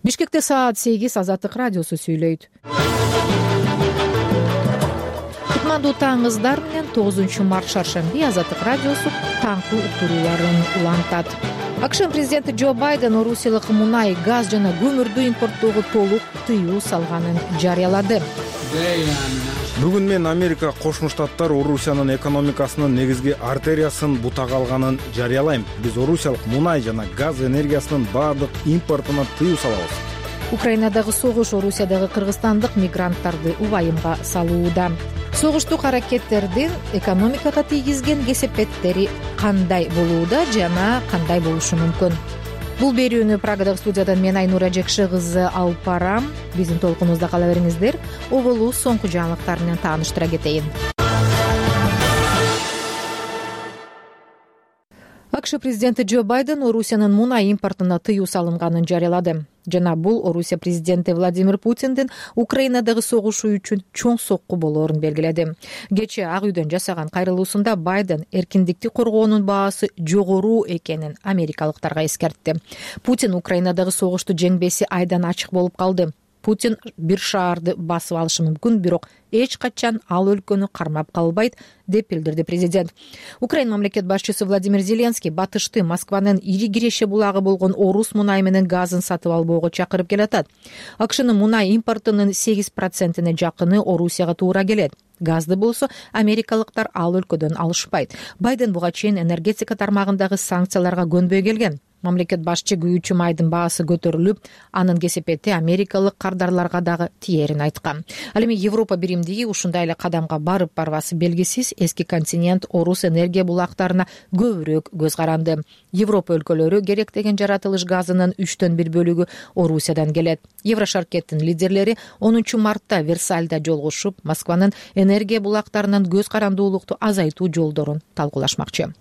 Бишкекте саат 8 Азаттык радиосу сүйлөйт. Кутмандуу таңыңыздар менен 9 март шаршемби Азаттык радиосу таңкы уктурууларын улантат. АКШ президенти Джо Байден орусиялык мунай, газ жана көмүрдү импорттоого толук тыюу салганын жарыялады. Бүгүн мен Америка Кошмо Штаттар Орусиянын экономикасынын негизги артериясын бутага алганын жарыялайм. Биз орусиялык мунай жана газ энергиясынын баардык импортуна тыюу салабыз. Украинадагы согуш Орусиядагы кыргызстандык мигранттарды убайымга салууда. Согуштук аракеттердин экономикага тийгизген кесепеттери кандай болууда жана кандай болушу мүмкүн? Бул берүүнү Прагадагы студиядан мен Айнура Жекши кызы алып барам. Биздин толкунубузда кала бериңиздер. Оболу соңку жаңылыктар менен тааныштыра кетейин. АКШ президенти Джо Байден Орусиянын мунай импортуна тыюу салынганын жарыялады. Жана бул Орусия президенти Владимир Путиндин Украинадагы согушу үчүн чоң сокку болоорун белгиледи. Кечээ Ак үйдөн жасаган кайрылуусунда Байден эркиндикти коргоонун баасы жогору экенин америкалыктарга эскертти. Путин Украинадагы согушту жеңбеси айдан ачык болуп калды. Путин бир шаарды басып алышы мүмкүн, бирок эч качан ал өлкөнү кармап калбайт, деп билдирди президент. Украина мамлекет башчысы Владимир Зеленский батышты Москванын ири киреше булагы болгон Орус мунай менен газын сатып албоого чакырып келатат. АКШнын мунай импортунун 8%-не жакыны Орусияга туура келет. Газды болсо америкалыктар ал өлкөдөн алышпайт. Байден буга чейин энергетика тармагындагы санкцияларга көнбөй келген. Мамлекет башчы күйүүчү майдын баасы көтөрүлүп, анын кесепети америкалык кардарларга дагы тиерин айткан. Ал эми Европа биримдиги ушундай эле кадамга барып-барбасы белгисиз. Эски континент Орус энергия булактарына көбүрөөк көз каранды. Европа өлкөлөрү керектеген жаратылыш газынын 1/3 бөлүгү Орусиядан келет. Еврошаркеттин лидерлери 10 мартта Версальда жолугушуп, Москванын энергия булактарынын көз карандуулукту азайтуу жолдорун талкуулашмакчы.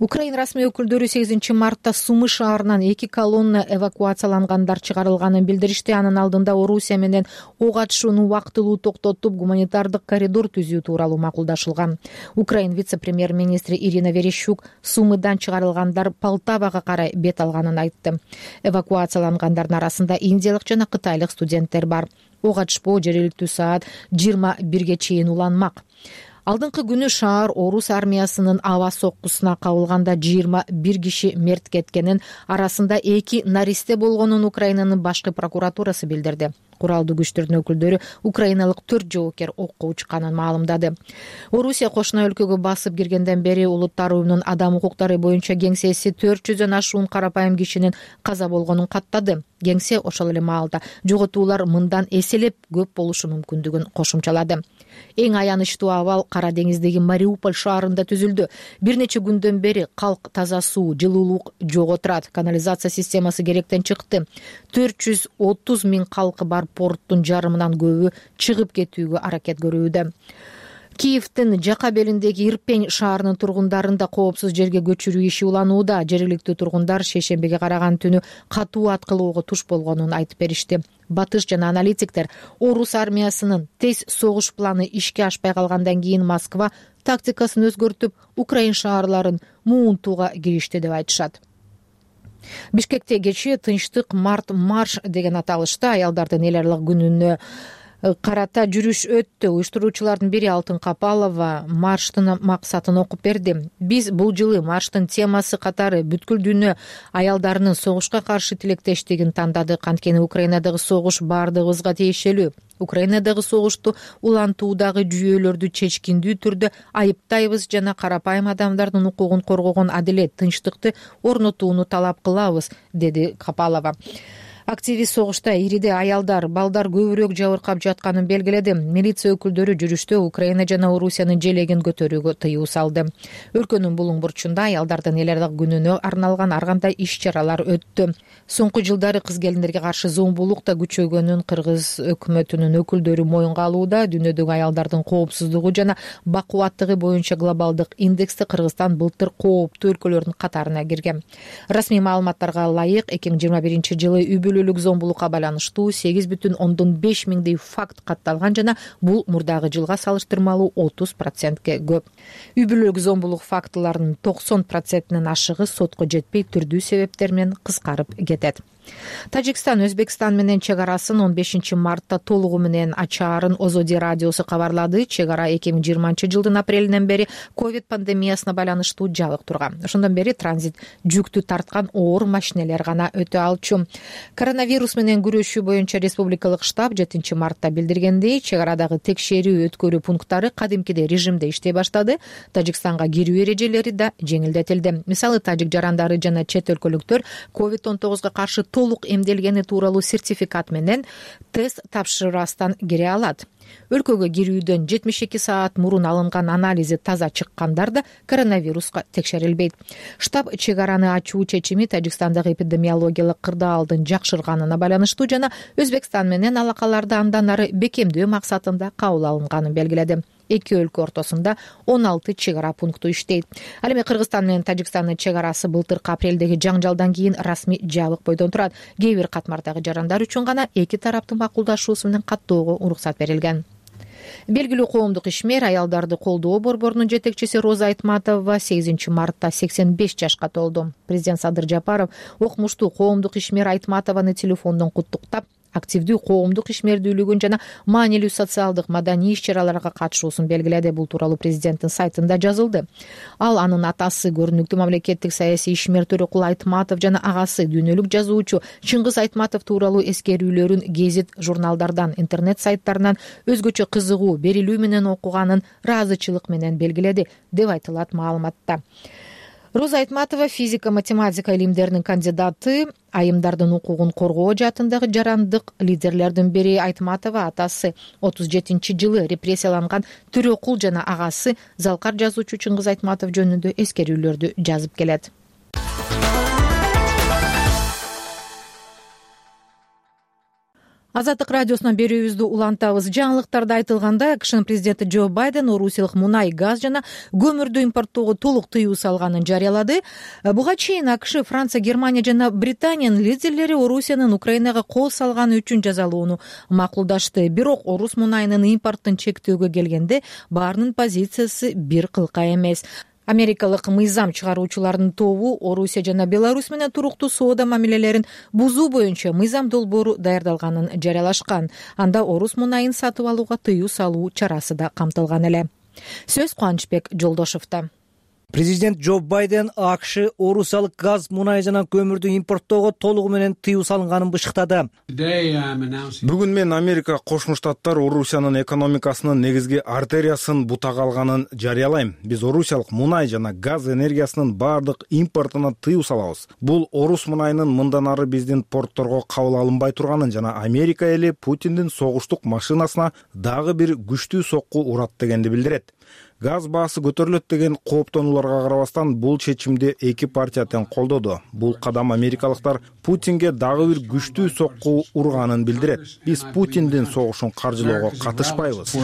Украина расмий өкүлдөрү 8 мартта Сумы шаарынан 2 колонна эвакуациялангандар чыгарылганын билдиришти. Анын алдында Орусия менен ок атышууну убактылуу токтотуп, гуманитардык коридор түзүү тууралуу макулдашылган. Украина вице-премьер-министри Ирина Верещук Сумыдан чыгарылгандар Полтавага карай бет алганын айтты. Эвакуациялангандардын арасында индиялык жана кытайлык студенттер бар. Ок атышпоо жергиликтүү саат 21-ге чейин уланмак. Алдыңкы күнү шаар Орус армиясынын аба соккусуна кабылганда 21 киши мерт кеткенин, арасында 2 наристе болгонун Украинанын башкы прокуратурасы билдирди. Куралдуу күчтөрдүн өкүлдөрү украиналык 4 жоокер окко учканын маалымдады. Орусия кошуна өлкөгө басып киргенден бери Улуттар уюмунун адам укуктары боюнча кеңсеси 400дөн ашуун карапайым кишинин каза болгонун каттады. Кеңсе ошол эле маалда жоготуулар мындан эселеп көп болушу мүмкүндүгүн кошумчалады. Эң аянычтуу абал Кара деңиздеги Мариуполь шаарында түзүлдү. Бир нече күндөн бери калк таза суу, жылуулук жок отурат. Канализация системасы керектен чыкты. 430 миң калкы бар порттун жарымынан көбү чыгып кетүүгө аракет көрүүдө. Киевдин жака белиндеги Ирпень шаарынын тургундарын да коопсуз жерге көчүрүү иши уланууда. Жергиликтүү тургундар шейшембиге караган түнү катуу аткылоого туш болгонун айтып беришти. Батыш жана аналитиктер Орус армиясынын тез согуш планы ишке ашпай калгандан кийин Москва тактикасын өзгөртүп, Украин шаарларын муунтууга киришти деп айтышат. Бишкекте кечээ Тынчтык марш деген аталышта аялдардын эл аралык күнүнө карата жүрүш өттү. Уюштуруучулардын бири Алтын Капалова марштын максатын окуп берди. Биз бул жылы марштын темасы катары бүткүл дүйнө аялдарынын согушка каршы тилектештигин тандадык. Анткени Украинадагы согуш баардыгыбызга тиешелүү. Украинадагы согушту улантуудагы жүйөлөрдү чечкиндүү түрдө айыптайбыз жана карапайым адамдардын укугун коргогон адилет, тынчтыкты орнотууну талап кылабыз, деди Капалова. Активист согушта ириде аялдар, балдар көбүрөөк жабыркап жатканын белгиледи. Милиция өкүлдөрү жүрүштө Украина жана Орусиянын желегин көтөрүүгө тыюу салды. Өлкөнүн булуң бурчунда аялдардын эл аралык күнүнө арналган ар кандай иш-чаралар өттү. Соңку жылдары кыз келиндерге каршы зомбулук да күчөгөнүн кыргыз өкмөтүнүн өкүлдөрү моюнга алууда. Дүйнөдөгү аялдардын коопсуздугу жана бакубаттыгы боюнча глобалдык индексте Кыргызстан былтыр кооптуу өлкөлөрдүн катарына кирген. Расмий маалыматтарга ылайык 2021 жылы үй бүлө бүлөлүк зомбулукка байланыштуу 8,5 миңдей факт катталган жана бул мурдагы жылга салыштырмалуу 30%ке көп. Үй бүлөлүк зомбулук фактыларынын 90%-нин ашыгы сотко жетпей түрдүү себептер менен кыскарып кетет. Тажикстан Өзбекстан менен чек арасын 15 мартта толугу менен ачаарын Озоди радиосу кабарлады. Чек ара 2020-жылдын апрелинен бери ковид пандемиясына байланыштуу жабык турган. Ошондон бери транзит жүктү тарткан оор машинелер гана өтө алчу. Коронавирус менен күрөшүү боюнча республикалык штаб 7 мартта билдиргендей, чек арадагы текшерүү өткөрүү пункттары кадимкидей режимде иштей баштады. Тажикстанга кирүү эрежелери да жеңилдетилди. Мисалы, тажик жарандары жана чет өлкөлүктөр COVID-19 каршы толук эмделгени тууралуу сертификат менен тест тапшырбастан кире алат. Өлкөгө кирүүдөн 72 саат мурун алынган анализи таза чыккандар да коронавируска текшерилбейт. Штаб чек араны ачуу чечими Тажикстандагы эпидемиологиялык кырдаалдын жакшырганына байланыштуу жана Өзбекстан менен алакаларды андан ары бекемдөө максатында кабыл алынганын белгиледи. Эки өлкө ортосунда 16 чек ара пункту иштейт. Ал эми Кыргызстан менен Тажикстандын чек арасы былтыркы апрелдеги жаңжалдан кийин расмий жабык бойдон турат. Кээ бир катмардагы жарандар үчүн гана эки тараптын макулдашуусу менен каттоого уруксат берилген. Белгилүү коомдук ишмер, аялдарды колдоо борборунун жетекчиси Роза Айтматова 8 мартта 85 жашка толду. Президент Садыр Жапаров окумуштуу коомдук ишмер Айтматованы телефондон куттуктап, активдүү коомдук ишмердүүлүгүн жана маанилүү социалдык маданий иш-чараларга катышуусун белгиледи. Бул тууралуу президенттин сайтында жазылды. Ал анын атасы көрүнүктүү мамлекеттик саясий ишмер Төрөкул Айтматов жана агасы дүйнөлүк жазуучу Чыңгыз Айтматов тууралуу эскерүүлөрүн гезит журналдардан, интернет сайттарынан өзгөчө кызыгуу, берилүү менен окуганын ыраазычылык менен белгиледи, деп айтылат маалыматта. Роза Айтматова физика-математика илимдеринин кандидаты, айымдардын укугун коргоо жаатындагы жарандык лидерлердин бири. Айтматова атасы 37-жылы репрессияланган Төрөкул жана агасы залкар жазуучу Чыңгыз Айтматов жөнүндө эскерүүлөрдү жазып келет. Азаттык радиосунан берүүбүздү улантабыз. Жаңылыктарда айтылганда, КШ президенти Джо Байден орусиялык мунай, газ жана көмүрдү импорттоого толук тыюу салганын жарыялады. Буга чейин АКШ, Франция, Германия жана Британиянын лидерлери Орусиянын Украинага кол салганы үчүн жазалоону макулдашты. Бирок орус мунайынын импорттун чектөөгө келгенде баарынын позициясы бир кылка эмес. Америкалык мыйзам чыгаруучулардын тобу Орусия жана Беларусь менен туруктуу соода мамилелерин бузуу боюнча мыйзам долбоору даярдалганын жарыялашкан. Анда орус мунайын сатып алууга тыюу салуу чарасы да камтылган эле. Сөз Кубанычбек Жолдошовдо. Президент Джо Байден АКШ орусиялык газ, мунай жана көмүрдү импорттоого толугу менен тыюу салынганын бышыктады. Бүгүн мен Америка Кошмо Штаттар Орусиянын экономикасынын негизги артериясын бутага алганын жарыялайм. Биз орусиялык мунай жана газ энергиясынын баардык импортуна тыюу салабыз. Бул орус мунайынын мындан ары биздин портторго кабыл алынбай турганын жана Америка эли Путиндин согуштук машинасына дагы бир күчтүү сокку урат дегенди билдирет. Газ баасы көтөрүлөт деген кооптонууларга карабастан бул чечимди эки партия тең колдоду. Бул кадам америкалыктар Путинге дагы бир күчтүү сокку урганын билдирет. Биз Путиндин согушун каржылоого катышпайбыз.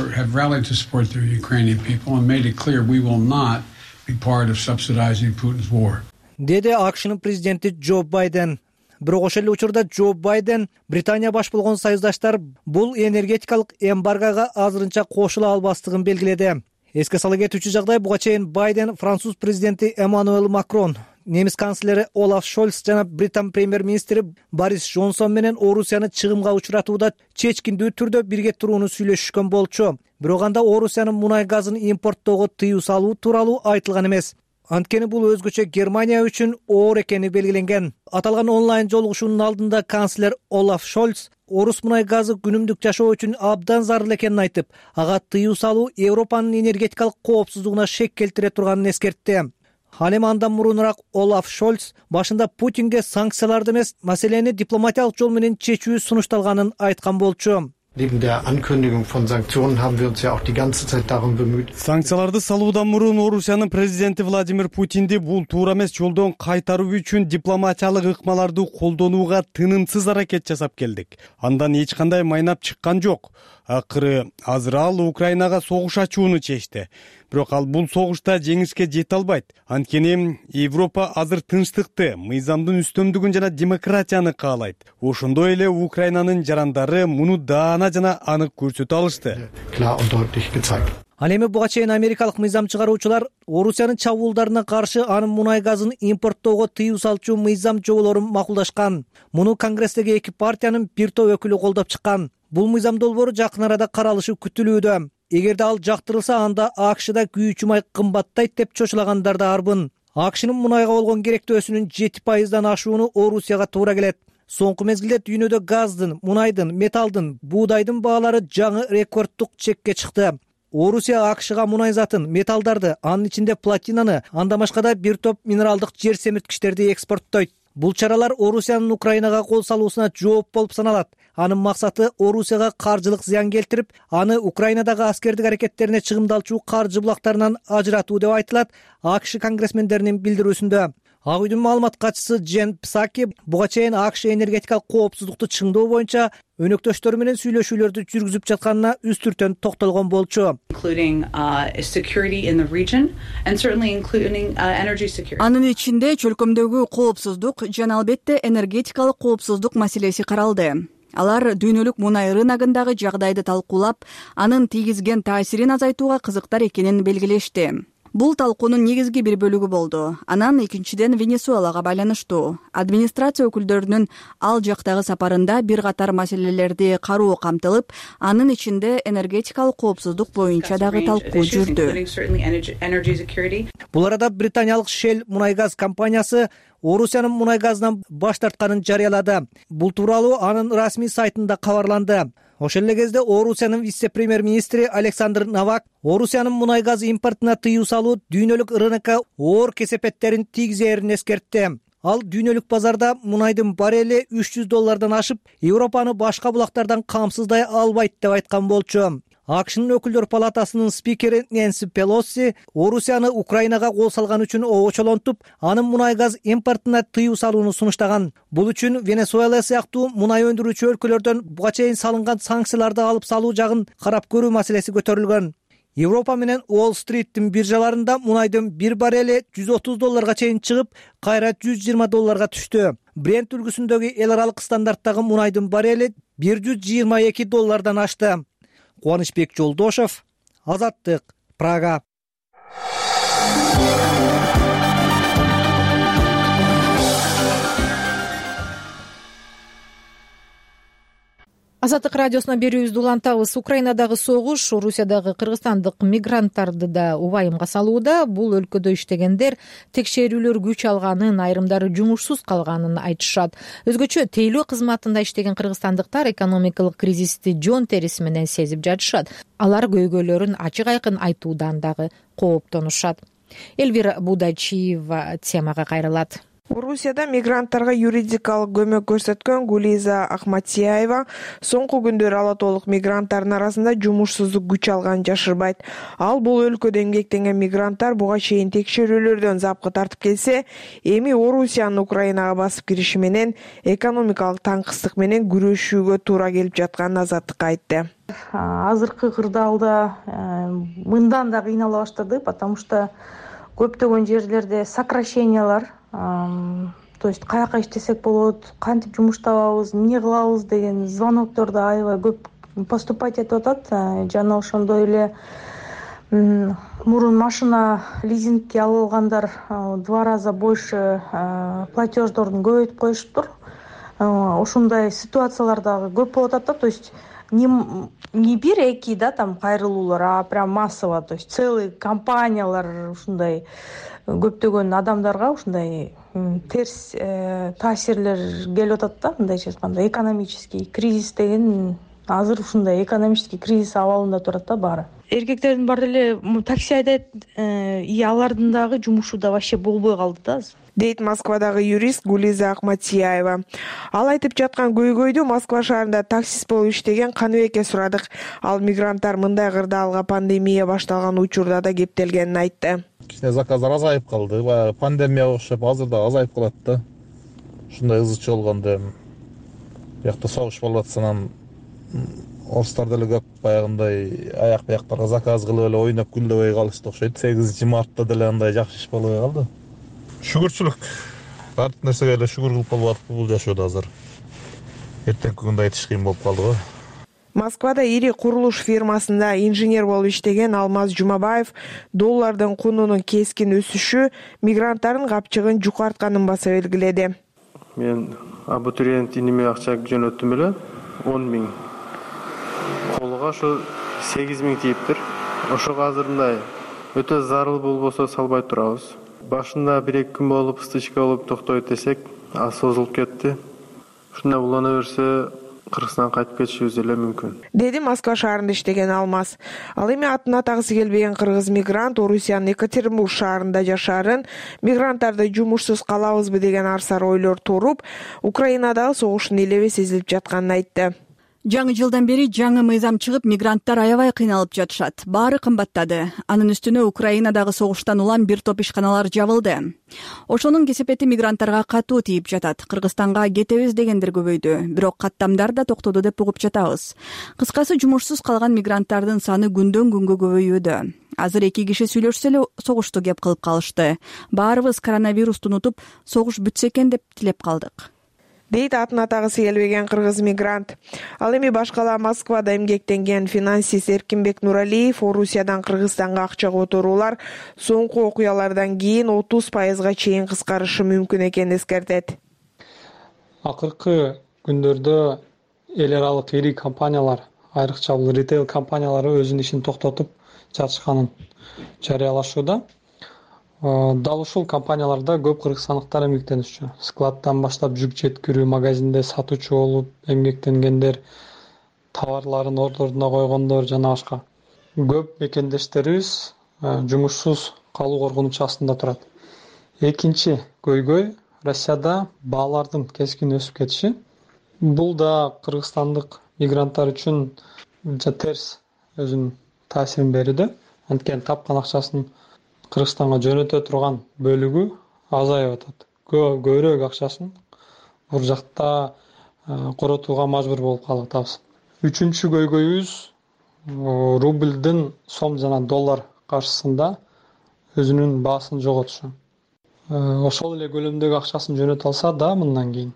Деди АКШнын президенти Джо Байден. Бирок ошол эле учурда Джо Байден Британия баш болгон союздаштар бул энергетикалык эмбаргага азырынча кошула албастыгын белгиледи. Эске сала кетүүчү жагдай, буга чейин Байден француз президенти Эммануэль Макрон, немис канцлери Олаф Шольц жана Британ премьер-министри Борис Джонсон менен Орусияны чыгымга учуратууда чечкиндүү түрдө бирге турууну сүйлөшүшкөн болчу. Бирок анда Орусиянын мунай газын импорттоого тыюу салуу тууралуу айтылган эмес. Анткени бул өзгөчө Германия үчүн оор экени белгиленген. Аталган онлайн жолугушуунун алдында канцлер Олаф Шольц орус мунай газы күнүмдүк жашоо үчүн абдан зарыл экенин айтып, ага тыюу салуу Европанын энергетикалык коопсуздугуна шек келтире турганын эскертти. Ал эми андан мурунураак Олаф Шольц башында Путинге санкцияларды эмес, маселени дипломатиялык жол менен чечүү сунушталганын айткан болчу. Neben der Ankündigung von Sanktionen haben wir uns ja auch die ganze Zeit darum bemüht. Санкцияларды салуудан мурун Орусиянын президенти Владимир Путинди бул туура эмес жолдон кайтаруу үчүн дипломатиялык ыкмаларды колдонууга тынымсыз аракет жасап келдик. Андан эч кандай майнап чыккан жок. Акыры азыр ал Украинага согуш ачууну чечти. Бирок ал бул согушта жеңишке жете албайт. Анткени Европа азыр тынчтыкты, мыйзамдын үстөмдүгүн жана демократияны каалайт. Ошондой эле Украинанын жарандары муну даана жана анык көрсөтө алышты. Ал эми буга чейин америкалык мыйзам чыгаруучулар Орусиянын чабуулдарына каршы анын мунай газын импорттоого тыюу салчу мыйзам жоболорун макулдашкан. Муну Конгресстеги эки партиянын бир топ өкүлү колдоп чыккан. Бул мыйзам долбоору жакын арада каралышы күтүлүүдө. Эгерде ал жактырылса, анда АКШда күйүүчү май кымбаттайт деп чочулагандар да арбын. АКШнын мунайга болгон керектөөсүнүн 7%дан ашууну Орусияга туура келет. Соңку мезгилде дүйнөдө газдын, мунайдын, металдын, буудайдын баалары жаңы рекордтук чекке чыкты. Орусия АКШга мунай затын, металдарды, анын ичинде платинаны, андан башка да бир топ минералдык жер семирткичтерди экспорттойт. Бул чаралар Орусиянын Украинага кол салуусуна жооп болуп саналат. Анын максаты Орусияга каржылык зыян келтирип, аны Украинадагы аскердик аракеттерине чыгымдалчу каржы булактарынан ажыратуу деп айтылат АКШ конгрессмендеринин билдирүүсүндө. Ак үйдүн маалымат катчысы Джен Псаки буга чейин АКШ энергетикалык коопсуздукту чыңдоо боюнча өнөктөштөрү менен сүйлөшүүлөрдү жүргүзүп жатканына үстүртөн токтолгон болчу. Анын ичинде чөлкөмдөгү коопсуздук жана албетте энергетикалык коопсуздук маселеси каралды. Алар дүйнөлүк мунай рыногундагы жагдайды талкуулап, анын тийгизген таасирин азайтууга кызыктар экенин белгилешти. Бул талкуунун негизги бир бөлүгү болду. Анан экинчиден Венесуэлага байланыштуу. Администрация өкүлдөрүнүн ал жактагы сапарында бир катар маселелерди кароо камтылып, анын ичинде энергетикалык коопсуздук боюнча дагы талкуу жүрдү. Бул арада британиялык Shell мунай газ компаниясы Орусиянын мунай газынан баш тартканын жарыялады. Бул тууралуу анын расмий сайтында кабарланды. Ошол эле кезде Орусиянын вице-премьер-министри Александр Новак Орусиянын мунай газ импортуна тыюу салуу дүйнөлүк рынокко оор кесепеттерин тийгизерин эскертти. Ал дүйнөлүк базарда мунайдын баррели $300 ашып, Европаны башка булактардан камсыздай албайт деп айткан болчу. АКШнын өкүлдөр палатасынын спикери Нэнси Пелоси Орусияны Украинага кол салган үчүн обочолонтуп, анын мунай газ импортуна тыюу салууну сунуштаган. Бул үчүн Венесуэла сыяктуу мунай өндүрүүчү өлкөлөрдөн буга чейин салынган санкцияларды алып салуу жагын карап көрүү маселеси көтөрүлгөн. Европа менен Уолл-стриттин биржаларында мунайдын бир баррели $130 чейин чыгып, кайра $120 түштү. Брент үлгүсүндөгү эл аралык стандарттагы мунайдын баррели $122 ашты. Кубанычбек Жолдошев, Азаттык, Прага. Азаттык радиосуна берүүбүздү улантабыз. Украинадагы согуш Орусиядагы кыргызстандык мигранттарды да убайымга салууда. Бул өлкөдө иштегендер текшерүүлөр күч алганын, айрымдары жумушсуз калганын айтышат. Өзгөчө тейлөө кызматында иштеген кыргызстандыктар экономикалык кризисти жон териси менен сезип жатышат. Алар көйгөйлөрүн ачык айкын айтуудан дагы кооптонушат. Элвира Будачиева темага кайрылат. Орусияда мигранттарга юридикалык көмөк көрсөткөн Гулиза Ахматияева соңку күндөр ала толук мигранттардын арасында жумушсуздук күч алганын жашырбайт. Ал бул өлкөдө эмгектенген мигранттар буга чейин текшерүүлөрдөн запкы тартып келсе, эми Орусиянын Украинага басып кириши менен экономикалык таңкыстык менен күрөшүүгө туура келип жатканын Азаттыкка айтты. Азыркы кырдаалда мындан да кыйнала баштады, потому что көптөгөн жерлерде сокращениялар, то есть каяка иштесек болот, кантип жумуш табабыз, эмне кылабыз деген звонокторду аябай көп поступать этип атат. Жана ошондой эле мурун машина лизингке алгандар 2 раза больше платеждорун көбөйтүп коюшуптур. Ошондой ситуациялар дагы көп болуп атат, то есть не бир-эки да там кайрылуулар, а прям массово, то есть целый компаниялар ушундай көптөгөн адамдарга ушундай терс таасирлер келип атат да, мындайча айтканда экономический кризис деген азыр ушундай экономический кризис абалында турат да баары. Эркектердин баары эле такси айдайт, алардын дагы жумушу да вообще болбой калды да дейт Москвадагы юрист Гулиза Ахматияева. Ал айтып жаткан көйгөйдү Москва шаарында таксист болуп иштеген Каныбекке сурадык. Ал мигранттар мындай кырдаалга пандемия башталган учурда да кептелгенин айтты. Кичине заказдар азайып калды. Пандемияга окшоп азыр да азайып калат да. Ушундай ызычы болгондо бияқта согуш болуп атса, Орустар деле көп баягындай аяк бияктарга заказ кылып эле ойноп күндөбөй калышты окшойт. 8 мартта деле андай жакшы иш болбой калды. Шүгүрчүлүк. Бардык нерсеге эле шүгүр кылып калып атып бул жашоодо азыр. Эртеңки күндө айтыш кыйын болуп калды го. Москвада ири курулуш фирмасында инженер болуп иштеген Алмаз Жумабаев доллардын кунунун кескин өсүшү мигранттардын капчыгын жукартканын баса белгиледи. Мен абитуриент иниме акча жөнөттүм эле 10 000. Колго ошо 8 000 тийиптир. Ошого азыр мындай өтө зарыл болбосо салбай турабыз. Башында 1-2 күн болуп стычка болуп токтойт десек, ал созулуп кетти. Ушундай улана берсе Кыргызстанга кайтып кетишибиз эле мүмкүн. Деди Москва шаарында иштеген Алмаз. Ал эми атын атагысы келбеген кыргыз мигрант Орусиянын Екатеринбург шаарында жашаарын, мигранттарды жумушсуз калабызбы деген арсар ойлор туруп, Украинадагы согуштун элеби сезилип жатканын айтты. Жаңы жылдан бери жаңы мыйзам чыгып, мигранттар аябай кыйналып жатышат. Баары кымбаттады. Анын үстүнө Украинадагы согуштан улам бир топ ишканалар жабылды. Ошонун кесепети мигранттарга катуу тийип жатат. Кыргызстанга кетебиз дегендер көбөйдү. Бирок каттамдар да токтоду деп угуп жатабыз. Кыскасы, жумушсуз калган мигранттардын саны күндөн күнгө көбөйүүдө. Азыр 2 киши сүйлөшсө эле согушту кеп кылып калышты. Баарыбыз коронавирусту унутуп, согуш бүтсө экен деп тилеп калдык. Дейт атын атагысы келбеген кыргыз мигрант. Ал эми башкала Москвада эмгектенген финансист Эркинбек Нуралиев Орусиядан Кыргызстанга акча которуулар соңку окуялардан кийин 30%га чейин кыскарышы мүмкүн экенин эскертет. Акыркы күндөрдө эл аралык ири компаниялар, айрыкча бул ритейл компаниялары өзүнүн ишин токтотуп жатышканын жарыялашууда. Дал ушул компанияларда көп кыргызстандыктар эмгектенишчү. Складдан баштап жүк жеткирүү, магазинде сатуучу болуп эмгектенгендер, товарларын ордуна койгондор жана башка. Көп мекендештерибиз жумушсуз калуу коркунучу астында турат. Экинчи көйгөй Россияда баалардын кескин өсүп кетиши. Бул да кыргызстандык мигранттар үчүн терс өзүнүн таасирин берүүдө. Анткени тапкан акчасын Кыргызстанга жөнөтө турган бөлүгү азайып атат. Көбүрөөк акчасын бул жакта коротууга мажбур болуп калып атабыз. Үчүнчү көйгөйүбүз рублдын сом жана доллар каршысында өзүнүн баасын жоготушу. Ошол эле көлөмдөгү акчасын жөнөтө алса да мындан кийин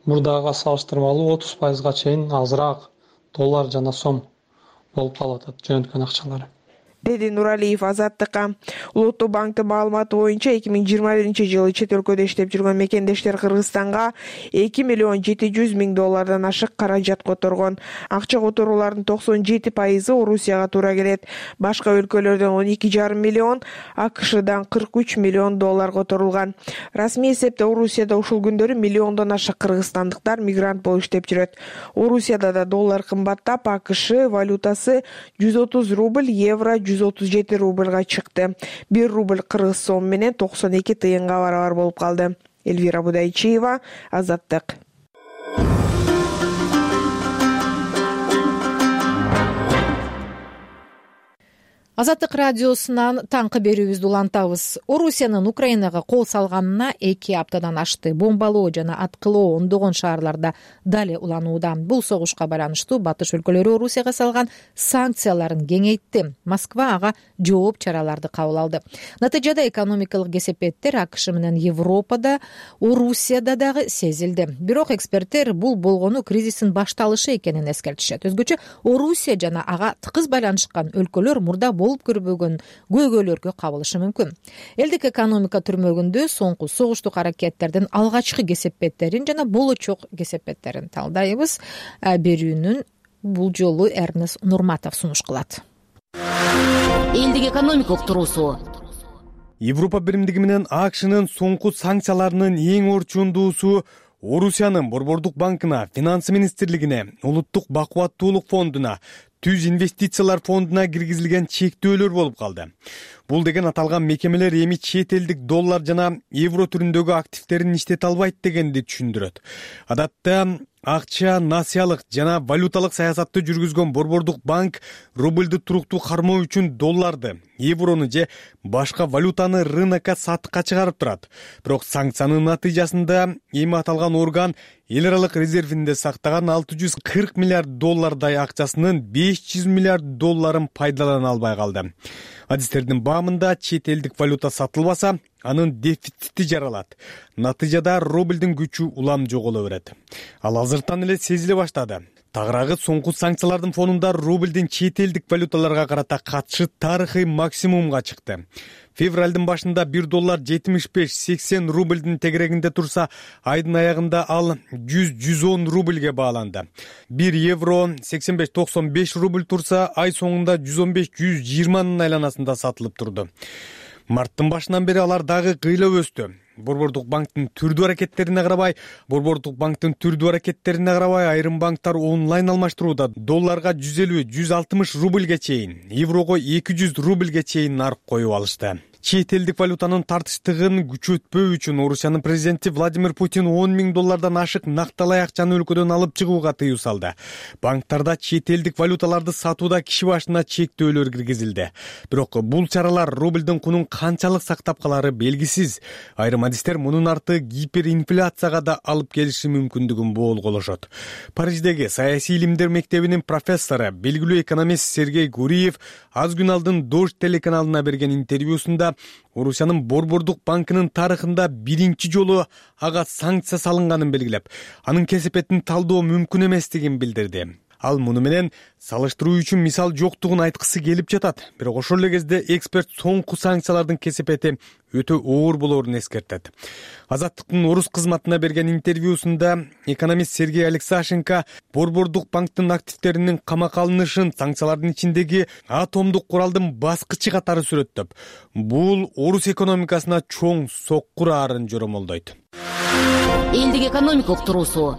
мурдага салыштырмалуу 30%га чейин азыраак доллар жана сом болуп калып атат жөнөткөн акчалары. Деди Нуралиев Азаттыкка. Улуттук банктын маалыматы боюнча 2021 чет өлкөдө иштеп жүргөн мекендештер Кыргызстанга 2 миллион 700 миң доллардан ашык каражат которгон. Акча которуулардын 97%ы Орусияга туура келет. Башка өлкөлөрдөн 12,5 миллион, АКШдан 43 миллион доллар которулган. Расмий эсепте Орусияда ушул күндөрү миллиондон ашык кыргызстандыктар мигрант болуп иштеп жүрөт. Орусияда да доллар кымбаттап, АКШ валютасы 130 рубль, евро 137 рубльга чыкты. 1 рубль кыргыз сом менен 92 тыйынга барабар болуп калды. Эльвира Будайчиева, Азаттык. Азаттык радиосунан таңкы берүүбүздү улантабыз. Орусиянын Украинага кол салганына 2 аптадан ашты. Бомбалоо жана аткылоо ондогон шаарларда дале уланууда. Бул согушка байланыштуу батыш өлкөлөрү Орусияга салган санкцияларын кеңейтти. Москва ага жооп чараларды кабыл алды. Натыйжада экономикалык кесепеттер АКШ менен Европада, Орусияда дагы сезилди. Бирок эксперттер бул болгону кризистин башталышы экенин эскертишет. Өзгөчө Орусия жана ага тыкыз байланышкан өлкөлөр мурда болуп көрбөгөн көйгөйлөргө кабылышы мүмкүн. Элдик экономика түрмөгүндө соңку согуштук аракеттердин алгачкы кесепеттерин жана болочок кесепеттерин талдайбыз. Берүүнүн бул жолу Эрнес Нурматов сунуш кылат. Элдик экономика уктуруусу. Европа биримдиги менен АКШнын соңку санкцияларынын эң орчундуусу Орусиянын Борбордук банкына, Финансы министрлигине, Улуттук бакубаттуулук фондуна, Түз инвестициялар фондуна киргизилген чектөөлөр болуп калды. Бул деген аталган мекемелер эми чет элдик доллар жана евро түрүндөгү активдерин иштете албайт дегенди түшүндүрөт. Адатта акча, насыялык жана валюталык саясатты жүргүзгөн Борбордук банк рубльду туруктуу кармоо үчүн долларды, еврону же башка валютаны рынокко сатыкка чыгарып турат. Бирок санкциянын натыйжасында эми аталган орган эл аралык резервинде сактаган 640 миллиард доллардай акчасынын 500 миллиард долларын пайдалана албай калды. Адистердин баамында чет элдик валюта сатылбаса, анын дефицити жаралат. Натыйжада рубльдин күчү улам жоголо берет. Ал азыртан эле сезиле баштады. Тагыраагы соңку санкциялардын фонунда рубльдин чет элдик валюталарга карата катышы тарыхый максимумга чыкты. Февралдын башында 1 доллар 75-80 рубльдин тегерегинде турса, айдын аягында ал 100-110 рубльге бааланды. 1 евро 85-95 рубль турса, ай соңунда 115-120 айланасында сатылып турду. Марттын башынан бери алар дагы кыйлап өстү. Борбордук банктын түрдүү аракеттерине карабай айрым банктар онлайн алмаштырууда долларга 150-160 рубльге чейин, еврого 200 рубльге чейин нарк коюп алышты. Чет элдик валютанын тартыштыгын күчөтпөө үчүн Орусиянын президенти Владимир Путин 10 000 доллардан ашык накталай акчаны өлкөдөн алып чыгууга тыюу салды. Банктарда чет элдик валюталарды сатууда киши башына чектөөлөр киргизилди. Бирок бул чаралар рубльдин кунун канчалык сактап калары белгисиз. Айрым адистер мунун арты гиперинфляцияга да алып келиши мүмкүндүгүн боолголошот. Париждеги саясий илимдер мектебинин профессору, белгилүү экономист Сергей Гуриев аз күн алдын Дождь телеканалына берген интервьюсунда Орусиянын Борбордук банкынын тарыхында биринчи жолу ага санкция салынганын белгилеп, анын кесепетин талдоо мүмкүн эместигин билдирди. Ал муну менен салыштыруу үчүн мисал жоктугун айткысы келип жатат. Бирок ошол эле кезде эксперт соңку санкциялардын кесепети өтө оор болоорун эскертет. Азаттыктын орус кызматына берген интервьюсунда экономист Сергей Алексашенко Борбордук банктын активдеринин камакка алынышын санкциялардын ичиндеги атомдук куралдын баскычы катары сүрөттөп, бул орус экономикасына чоң сокку ырарын жоромолдойт. Элдик экономика уктуруусу.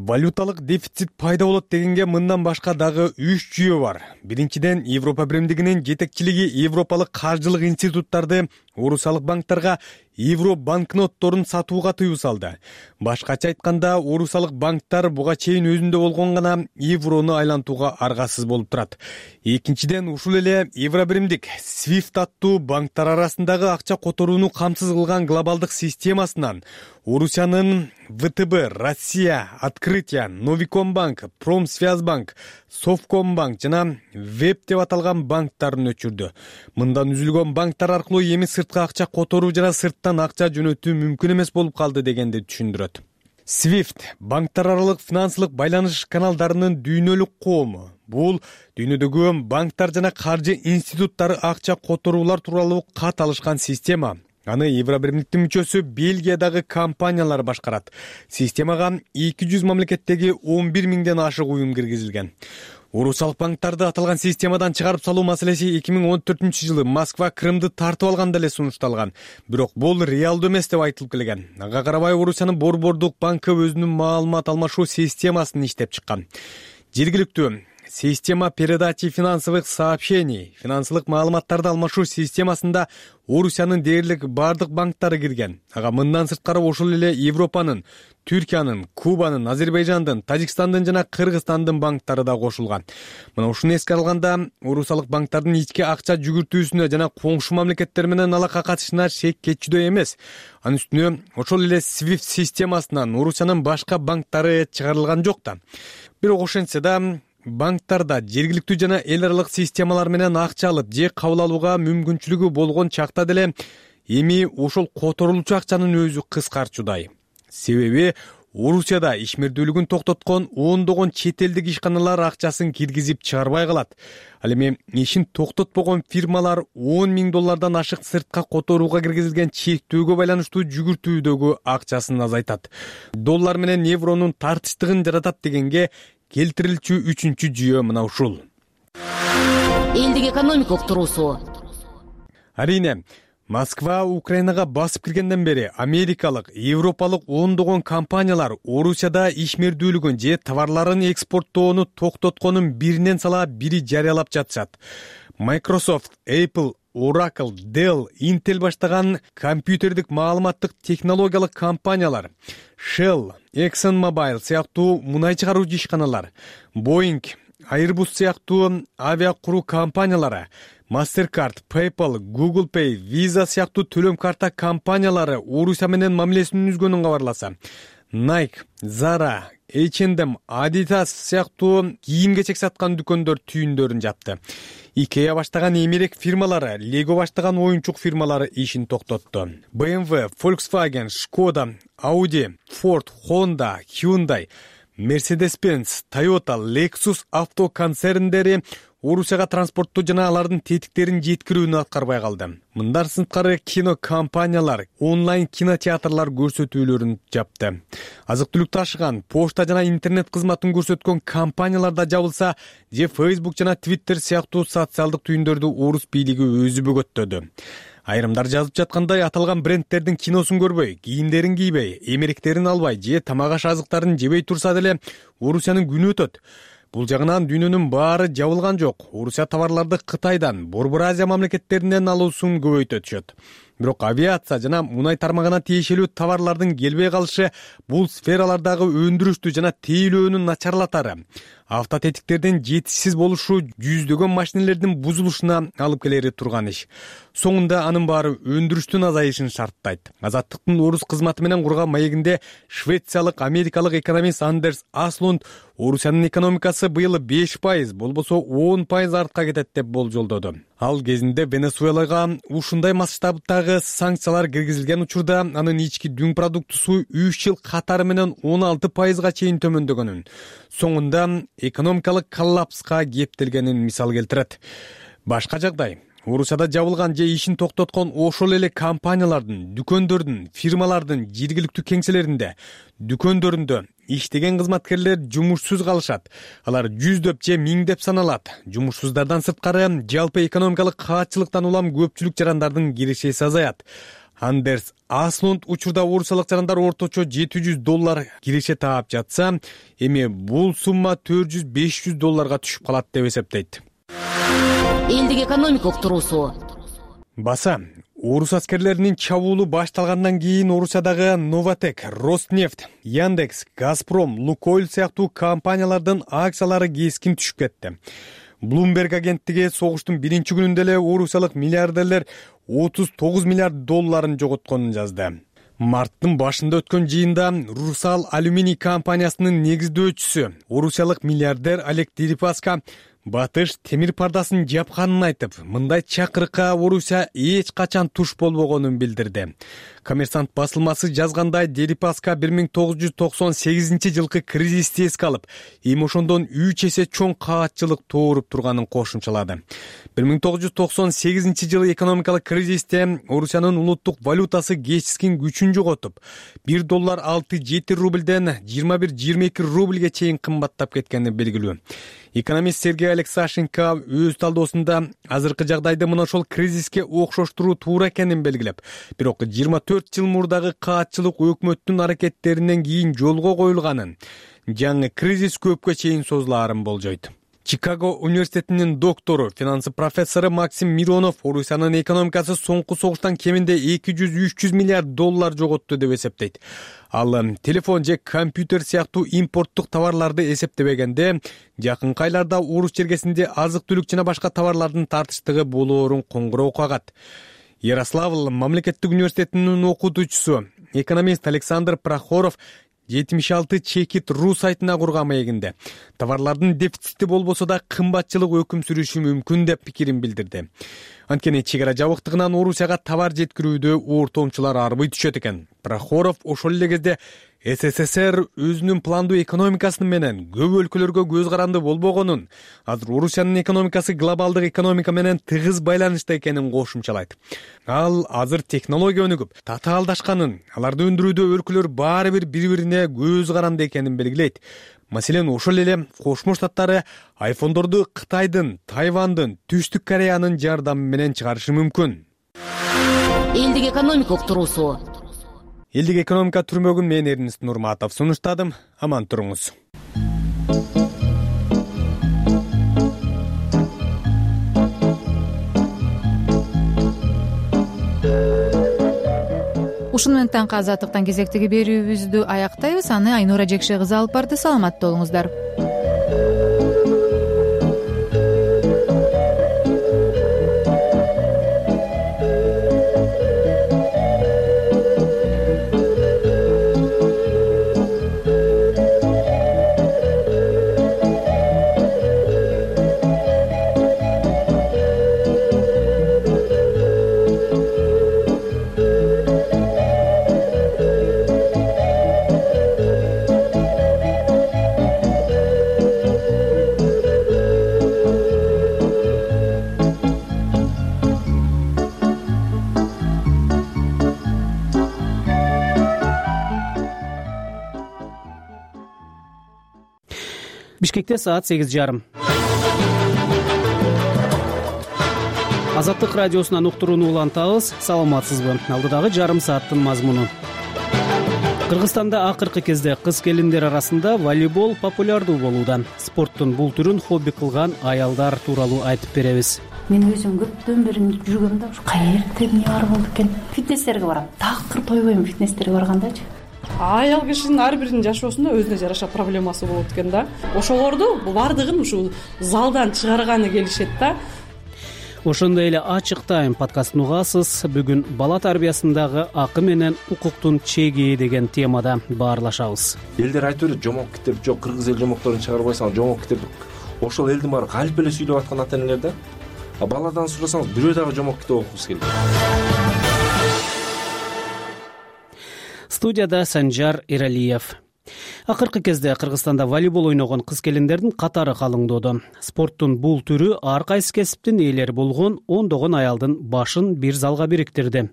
Валюталык дефицит пайда болот дегенге мындан башка дагы 3 жүйө бар. Биринчиден, Европа биримдигинин жетекчилиги европалык каржылык институттарды орусиялык банктарга евро банкнотторун сатууга тыюу салды. Башкача айтканда, орусиялык банктар буга чейин өзүндө болгон гана еврону айлантууга аргасыз болуп турат. Экинчиден, ушул эле евро биримдик SWIFT аттуу банктар арасындагы акча которууну камсыз кылган глобалдык системасынан Орусиянын ВТБ, Россия, Открытие, Новикомбанк, Промсвязьбанк, Совкомбанк жана Веб деп аталган банктарын өчүрдү. Мындан үзүлгөн банктар аркылуу эми сыртка акча которуу жана сырттан акча жөнөтүү мүмкүн эмес болуп калды дегенди түшүндүрөт. SWIFT банктар аралык финансылык байланыш каналдарынын дүйнөлүк коому. Бул дүйнөдөгү банктар жана каржы институттары акча которуулар тууралуу кат алышкан система. Аны Евро биримдиктин мүчөсү Бельгиядагы компаниялар башкарат. Системага 200 мамлекеттеги 11 000ден ашык уюм киргизилген. Орусиялык банктарды аталган системадан чыгарып салуу маселеси 2014-жылы Москва Крымды тартып алганда эле сунушталган. Бирок бул реалдуу эмес деп айтылып келген. Ага карабай Орусиянын Борбордук банкы өзүнүн маалымат алмашуу системасын иштеп чыккан. Жергиликтүү система передачи финансовых сообщений, финансылык маалыматтарды алмашуу системасында Орусиянын дээрлик бардык банктары кирген. Ага мындан сырткары ошол эле Европанын, Түркиянын, Кубанын, Азербайжандын, Тажикстандын жана Кыргызстандын банктары да кошулган. Мына ушуну эске алганда, орусиялык банктардын ички акча жүгүртүүсүнө жана коңшу мамлекеттер менен алака катышына шек кетчүдөй эмес. Анын үстүнө ошол эле SWIFT системасынан Орусиянын башка банктары чыгарылган жок да. Бирок ошентсе да банктарда жергиликтүү жана эл аралык системалар менен акча алып же кабыл алууга мүмкүнчүлүгү болгон чакта деле эми ошол которулчу акчанын өзү кыскарчудай. Себеби Орусияда ишмердүүлүгүн токтоткон ондогон чет элдик ишканалар акчасын киргизип чыгарбай калат. Ал эми ишин токтотпогон фирмалар 10 000 доллардан ашык сыртка которууга киргизилген чектөөгө байланыштуу жүгүртүүдөгү акчасын азайтат. Доллар менен евронун тартыштыгын жаратат дегенге келтирилчү үчүнчү жүйө мына ушул. Элдик экономика уктуруусу. Арине, Москва Украинага басып киргенден бери америкалык, европалык ондогон компаниялар Орусияда ишмердүүлүгүн же товарларын экспорттоону токтотконун биринен сала бири жарыялап жатышат. Microsoft, Apple, Oracle, Dell, Intel баштаган компьютердик маалыматтык технологиялык компаниялар, Shell, ExxonMobil сыяктуу мунай чыгаруучу ишканалар, Boeing, Airbus сыяктуу авиа куруу компаниялары, Mastercard, PayPal, Google Pay, Visa сыяктуу төлөм карта компаниялары Орусия менен мамилесин үзгөнүн кабарласа, Nike, Zara, H&M, Adidas сыяктуу кийим-кечек саткан дүкөндөр түйүндөрүн жапты. IKEA баштаган эмерек фирмалары, Lego баштаган оюнчук фирмалары ишин токтотту. BMW, Volkswagen, Skoda, Audi, Ford, Honda, Hyundai, Mercedes-Benz, Toyota, Lexus авто концерндери Орусияга транспортту жана алардын тетиктерин жеткирүүнү аткарбай калды. Мындан сырткары кино компаниялар онлайн кинотеатрлар көрсөтүүлөрүн жапты. Азык-түлүк ташыган, почта жана интернет кызматын көрсөткөн компаниялар да жабылса, же Facebook жана Twitter сыяктуу социалдык түйүндөрдү орус бийлиги өзү бөгөттөдү. Айрымдар жазып жаткандай, аталган брендтердин киносун көрбөй, кийимдерин кийбей, эмеректерин албай же тамак аш азыктарын жебей турса деле Орусиянын күнү өтөт. Бул жагынан дүйнөнүн баары жабылган жок. Орусия товарларды Кытайдан, Борбор Азия мамлекеттеринен алуусун көбөйтө түшөт. Бирок авиация жана мунай тармагына тиешелүү товарлардын келбей калышы бул сфералардагы өндүрүштү жана тейлөөнү начарлатары, автотетиктердин жетишсиз болушу жүздөгөн машинелердин бузулушуна алып келери турган иш. Соңунда анын баары өндүрүштүн азайышын шарттайт. Азаттыктын орус кызматы менен курган маегинде швециялык, америкалык экономист Андерс Аслунд Орусиянын экономикасы быйыл 5%, болбосо 10% артка кетет деп болжолдоду. Ал кезинде Венесуэлага ушундай масштабтагы санкциялар киргизилген учурда анын ички дүң продуктусу 3 жыл катары менен 16%га чейин төмөндөгөнүн, соңунда экономикалык коллапска кептелгенин мисал келтирет. Башка жагдай Орусияда жабылган же ишин токтоткон ошол эле компаниялардын, дүкөндөрдүн, фирмалардын жергиликтүү кеңселеринде, дүкөндөрүндө иштеген кызматкерлер жумушсуз калышат. Алар жүздөп же миңдеп саналат. Жумушсуздардан сырткары жалпы экономикалык каатчылыктан улам көпчүлүк жарандардын кирешеси азаят. Андерс Аслунд учурда орусиялык жарандар орточо $700 киреше таап жатса, эми бул сумма $400-500 түшүп калат деп эсептейт. Элдик экономикалык туруусу. Баса, орус аскерлеринин чабуулу башталгандан кийин Орусиядагы Новотек, Роснефть, Яндекс, Газпром, Лукойл сыяктуу компаниялардын акциялары кескин түшүп кетти. Bloomberg агенттиги согуштун биринчи күнүндө эле орусиялык миллиардерлер $39 миллиард жоготконун жазды. Марттын башында өткөн жыйында Русал алюминий компаниясынын негиздөөчүсү, орусиялык миллиардер Олег Дерипаска батыш темир пардасын жапканын айтып, мындай чакырыкка Орусия эч качан туш болбогонун билдирди. Коммерсант басылмасы жазгандай, Дерипаска 1998-жылкы кризисти эске алып, эми ошондон 3 эсе чоң каатчылык тууруп турганын кошумчалады. 1998-жылы экономикалык кризисте Орусиянын улуттук валютасы кечискин күчүн жоготуп, $1 6-7 рубльден 21-22 рубльге чейин кымбаттап кеткени белгилүү. Экономист Сергей Алексашенко өз талдоосунда азыркы жагдайды мына ошол кризиске окшоштуруу туура экенин белгилеп, бирок 24 жыл мурдагы каатчылык өкмөттүн аракеттеринен кийин жолго коюлганын, жаңы кризис көпкө чейин созулаарын болжойт. Чикаго университетинин доктору, финансы профессору Максим Миронов Орусиянын экономикасы соңку согуштан кеминде $200-300 миллиард жоготту деп эсептейт. Ал телефон же компьютер сыяктуу импорттук товарларды эсептебегенде, жакынкы айларда орус чергесинде азык-түлүк жана башка товарлардын тартыштыгы болоорун коңгуроо кагат. Ярославль мамлекеттик университетинин окутуучусу, экономист Александр Прохоров 76-чекит.ру сайтына курган маегинде товарлардын дефицити болбосо да кымбатчылык өкүм сүрүшү мүмкүн деп пикирин билдирди. Анткени чек ара жабыктыгынан Орусияга товар жеткирүүдө ортомчулар арбый түшөт экен. Прохоров ошол эле кезде СССР өзүнүн пландуу экономикасы менен көп өлкөлөргө көз каранды болбогонун, азыр Орусиянын экономикасы глобалдык экономика менен тыгыз байланышта экенин кошумчалайт. Ал азыр технология өнүгүп, татаалдашканын, аларды өндүрүүдө өлкөлөр баары бир бири-бирине көз каранды экенин белгилейт. Маселен, ошол эле Кошмо Штаттары айфондорду Кытайдын, Тайвандын, Түштүк Кореянын жардамы менен чыгарышы мүмкүн. Элдик экономикалык туруусу. Элдик экономика түрмөгүн мен Эрнест Нурматов сунуштадым. Аман туруңуз. Ушуну менен таңкы азаттыктан кезектеги берүүбүздү аяктайбыз. Аны Айнура Жекше кызы алып барды. Саламатта болуңуздар. Бишкекте саат 8:30. Азаттык радиосунан уктурууну улантабыз. Саламатсызбы? Алдыдагы жарым сааттын мазмуну. Кыргызстанда акыркы кезде кыз келиндер арасында волейбол популярдуу болууда. Спорттун бул түрүн хобби кылган аялдар тууралуу айтып беребиз. Мен өзүм көптөн бери жүргөм да, ушу каерде эмне бар болду экен. Фитнестерге барам. Такыр тойбойм фитнестерге баргандачы. Аял кишинин ар биринин жашоосунда өзүнө жараша проблемасы болот экен да. Ошолорду бардыгын ушу залдан чыгарганы келишет да. Ошондой эле ачык тайм подкастын угасыз. Бүгүн бала тарбиясындагы акы менен укуктун чеги деген темада баарлашабыз. Элдер айтып берет, жомок китеп жок, кыргыз эл жомокторун чыгарбайсың, жомок китеп. Ошол элдин баары калп эле сүйлөп аткан ата-энелер да. Баладан сурасаңыз, бирөө дагы жомок китеп окугусу келет. Студияда Санжар Эралиев. Акыркы кезде Кыргызстанда волейбол ойногон кыз келиндердин катары калыңдоодо. Спорттун бул түрү ар кайсы кесиптин ээлери болгон ондогон аялдын башын бир залга бириктирди.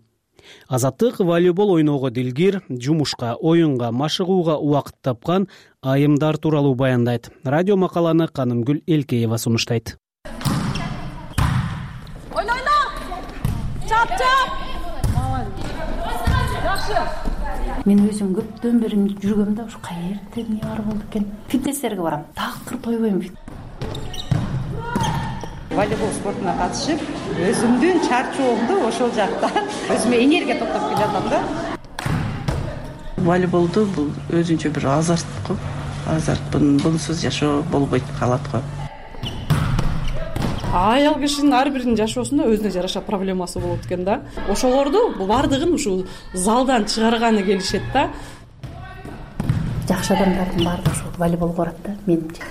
Азаттык волейбол ойноого дилгир, жумушка, оюнга, машыгууга убакыт тапкан айымдар тууралуу баяндайт. Радио макаланы Канымгүл Элкеева сунуштайт. Ойна! Чап! Жакшы! Мен өзүм көптөн бери жүргөм да, ушу каерде эмне бар болду экен. Фитнестерге барам. Такыр тойбойм. Волейбол спортуна катышып, өзүмдүн чарчоомду ошол жакта өзүмө энергия топтоп келатам да. Волейболду бул өзүнчө бир азарт го. Азарт бунсуз жашоо болбойт калат го. Аял кишинин ар биринин жашоосунда өзүнө жараша проблемасы болот экен да. Ошолорду бардыгын ушу залдан чыгарганы келишет да. Жакшы адамдардын баардыгы ошол волейболго барат да, менимче.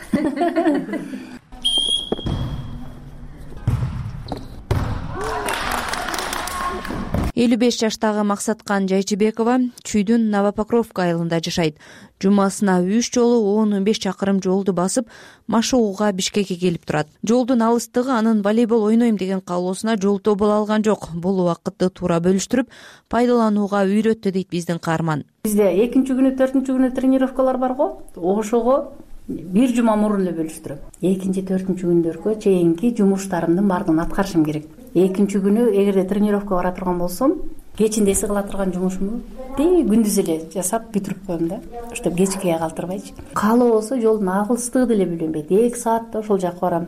55 жаштагы Максаткан Жайчыбекова Чүйдүн Новопокровка айылында жашайт. Жумасына 3 жолу 10-15 чакырым жолду басып, машыгууга Бишкекке келип турат. Жолдун алыстыгы анын волейбол ойнойм деген каалоосуна жолтоо боло алган жок. Бул убакытты туура бөлүштүрүп, пайдаланууга үйрөттү дейт биздин каарман. Бизде 2-күнү, 4-күнү тренировкалар бар го. Ошого бир жума мурун эле бөлүштүрөм. 2-4 күндөргө чейинки жумуштарымдын баардыгын аткарышым керек. 2 күнү эгерде тренировка бара турган болсом, кечинде эсе кыла турган жумушумду күндүз эле жасап бүтүрүп коем да. Ошто кечке калтырбайчы. Каалоо болсо жолдун агылыстыгы деле билинбейт. 2 саатта ошол жакка барам.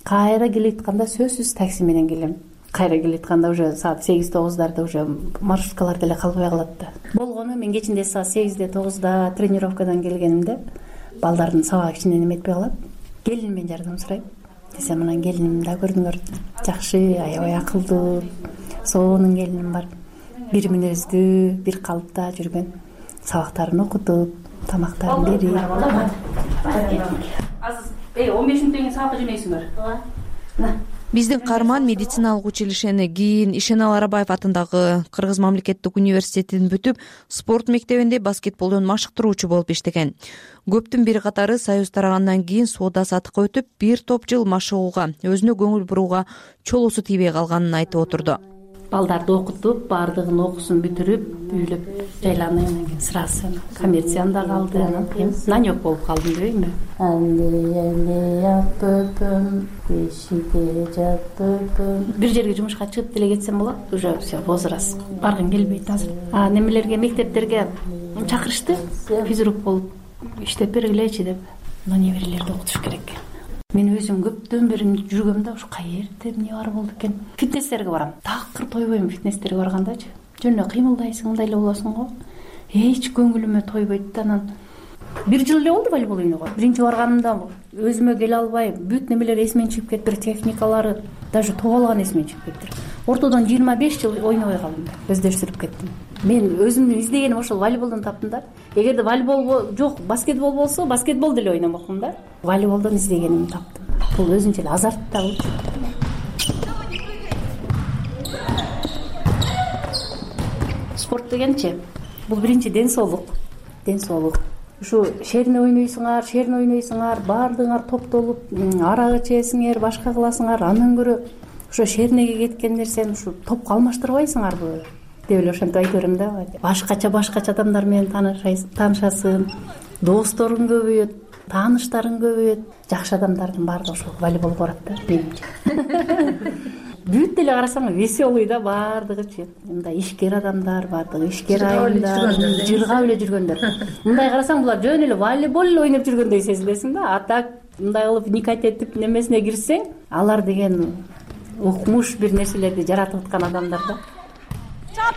Кайра келитканда сөзсүз такси менен келем. Кайра келитканда уже саат 8-9дарда уже маршруткалар деле калбай калат да. Болгону мен кечинде саат 8-9да тренировкадан келгенимде балдардын сабагы кичинен эметпей калат. Келинимен жардам сурайм. Десем, анан келиним да көрдүңөр, жакшы, аябай акылдуу, сонун келиним бар. Бир мүнөздүү, бир калыпта жүргөн. Сабактарын окутуп, тамактарын берип. Азыр 15 мүнөттөн кийин сабакка жөнөйсүңөр. Биздин каарман медициналык училищени кийин Ишенал Арабаев атындагы Кыргыз мамлекеттик университетин бүтүп, спорт мектебинде баскетболдон машыктыруучу болуп иштеген. Көптүн бир катары союз тарагандан кийин соода сатыкка өтүп, бир топ жыл машыгууга, өзүнө көңүл бурууга чолусу тийбей калганын айтып отурду. Балдарды окутуп, баардыгын окуусун бүтүрүп, үйлөп жайланып, анан кийин сырасы коммерцияда калды, анан кийин нанёк болуп калдым дебейинби? Бир жерге жумушка чыгып деле кетсем болот, уже все возраст. Баргым келбейт азыр. Немелерге, мектептерге чакырышты, физрук болуп иштеп бергилечи деп. Но неберелерди окутуш керек. Мен өзүм көптөн бери жүргөм да, ушу каерде эмне бар болду экен. Фитнестерге барам. Такыр тойбойм фитнестерге баргандачы. жөн эле кыймылдайсың, мындай эле болосуң го. Эч көңүлүмө тойбойт да. Анан 1 жыл эле болду волейбол ойногон. Биринчи барганымда өзүмө келе албай, бүт немелер эсимен чыгып кетиптир, техникалары, даже топ алган эсимен чыгып кетиптир. Ортодон 25 жыл ойнобой калдым, өздөштүрүп кеттим. Мен өзүмдүн издегеним ошол волейболдон таптым да. Эгерде волейбол жок, баскетбол болсо, баскетбол деле ойномокмун да. Волейболдон издегенимди таптым. Бул өзүнчө эле азарт да бул. Спорт дегенчи, бул биринчи ден соолук. Ден соолук. Ушу шерне ойнойсуңар, баардыгыңар топтолуп, арак ичесиңер, башка кыласыңар. Андан көрө ошо шернеге кеткендер сен ушу топко алмаштырбайсыңарбы деп эле ошентип айта берем да. Башкача адамдар менен таанышасың, досторуң көбөйөт, тааныштарың көбөйөт. Жакшы адамдардын баардыгы ошол волейболго барат да, менимче. Бүт деле карасаң веселый да баардыгычы. Мындай ишкер адамдар, баардыгы ишкер айымдар, жыргап эле жүргөндөр. Мындай карасаң булар жөн эле волейбол эле ойноп жүргөндөй сезилесиң да. А так мындай кылып никать этип немесине кирсең, алар деген укмуш бир нерселерди жаратып аткан адамдар да. Чап!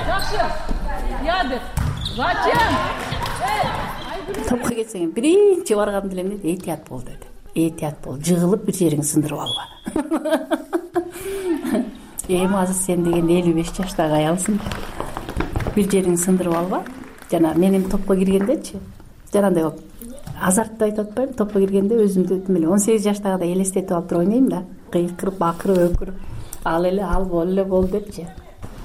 Жакшы. Ядыр. Зачем? Топко кетсең, биринчи барган деле эмне? Этият бол деди. Этият бол, жыгылып бир жериңди сындырып алба. Эми азыр сен деген 55 жаштагы аялсың. Бир жериңди сындырып алба. Жана менин топко киргендечи, жанагындай болуп азартты айтып атпайбы, топко киргенде өзүмдү эле 18 жаштагыдай элестетип алып туруп ойнойм да. Кыйкырып, акырып, өкүрүп, ал эле бол депчи.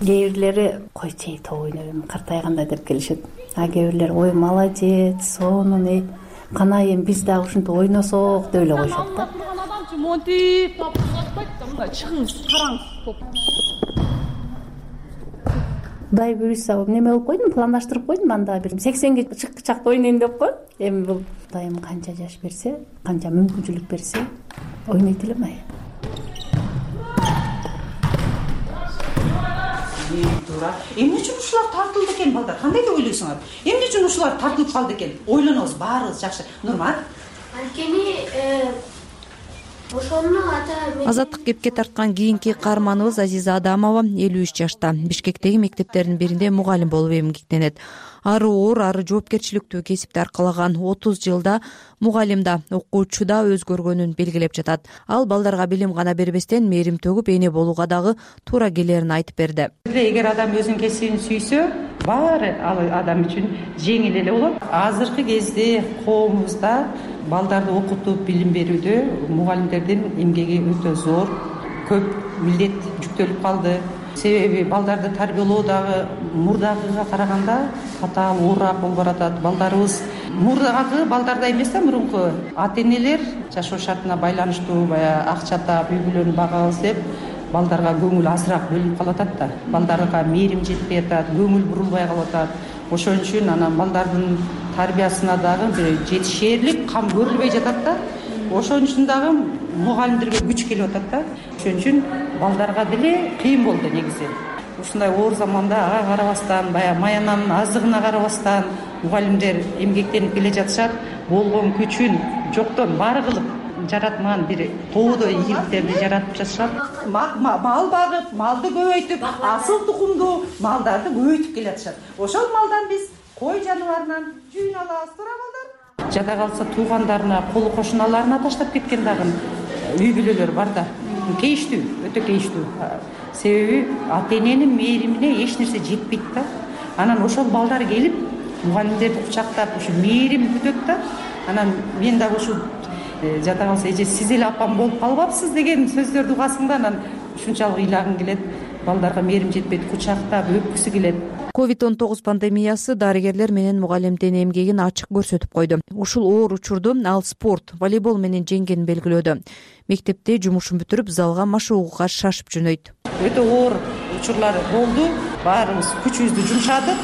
Кээ бирлери койчей топ ойнойм, картайганда деп келишет. А кээ бирлери ой молодец, сонун, кана эми биз дагы ушинтип ойносок деп эле коюшат да. Адамчы монтип, таппайт да, мындай чыгыңыз, караңыз топ. Дай буюрса неме кылып койдум, пландаштырып койдум, анда бир 80ге чыккычакта ойнойм деп коем. Эми бул Кудайым канча жаш берсе, канча мүмкүнчүлүк берсе, ойнойт элем ай. Эмне үчүн ушулар тартылды экен балдар? Кандай деп ойлойсуңар? Эмне үчүн ушулар тартылып калды экен? Ойлонобуз, баарыбыз жакшы. Нурмат? Анткени ошону Азаттык кепке тарткан кийинки каарманыбыз Азиза Адамова 53 жашта. Бишкектеги мектептердин биринде мугалим болуп эмгектенет. Ары оор, ары жоопкерчиликтүү кесипти аркалаган 30 жылда мугалим да, окуучу да өзгөргөнүн белгилеп жатат. Ал балдарга билим гана бербестен мээрим төгүп эне болууга дагы туура келерин айтып берди. Эгер адам өзүнүн кесибин сүйсө, баары ал адам үчүн жеңил эле болот. Азыркы кезде коомубузда балдарды окутуп билим берүүдө мугалимдердин эмгеги өтө зор, көп милдет жүктөлүп калды. Себеби балдарды тарбиялоо дагы мурдагыга караганда катаал, оорураак болуп баратат. Балдарыбыз мурдагы балдардай эмес да, мурунку ата-энелер жашоо шартына байланыштуу баягы акча таап, үй бүлөнү багабыз деп балдарга көңүл азыраак бөлүнүп калатат да. Балдарга мээрим жетпей атат, көңүл бурулбай калып атат. Ошон үчүн анан балдардын тарбиясына дагы бир жетишээрлик кам көрүлбөй жатат да. Ошон үчүн дагы мугалимдерге күч келип атат да. Ошон үчүн балдарга деле кыйын болду негизи. Ушундай оор заманда ага карабастан, баягы маянанын аздыгына карабастан мугалимдер эмгектенип келе жатышат. Болгон күчүн жоктон бар кылып жаратман бир тоодой ийгиликтерди жаратып жатышат. Мал багып, малды көбөйтүп, асыл тукумдуу малдарды көбөйтүп келе жатышат. Ошол малдан биз кой жаныбарынан жүүн алабыз, туура балдар. Жада калса туугандарына, колу кошуналарына таштап кеткен дагы үй бүлөлөр бар да. Кейиштүү, өтө кейиштүү. Себеби ата-эненин мээримине эч нерсе жетпейт да. Анан ошол балдар келип мугалимдерди кучактап, ушу мээрим күтөт да. Анан мен дагы ушу жада калса эже сиз эле апам болуп калбапсыз деген сөздөрдү угасың да, анан ушунчалык ыйлагың келет. Балдарга мээрим жетпейт, кучактап, өпкүсү келет. COVID-19 пандемиясы дарыгерлер менен мугалимдин эмгегин ачык көрсөтүп койду. Ушул оор учурду ал спорт, волейбол менен жеңгенин белгилөөдө. Мектепте жумушун бүтүрүп, залга машыгууга шашып жөнөйт. Өтө оор учурлар болду. Баарыбыз күчүбүздү жумшадык,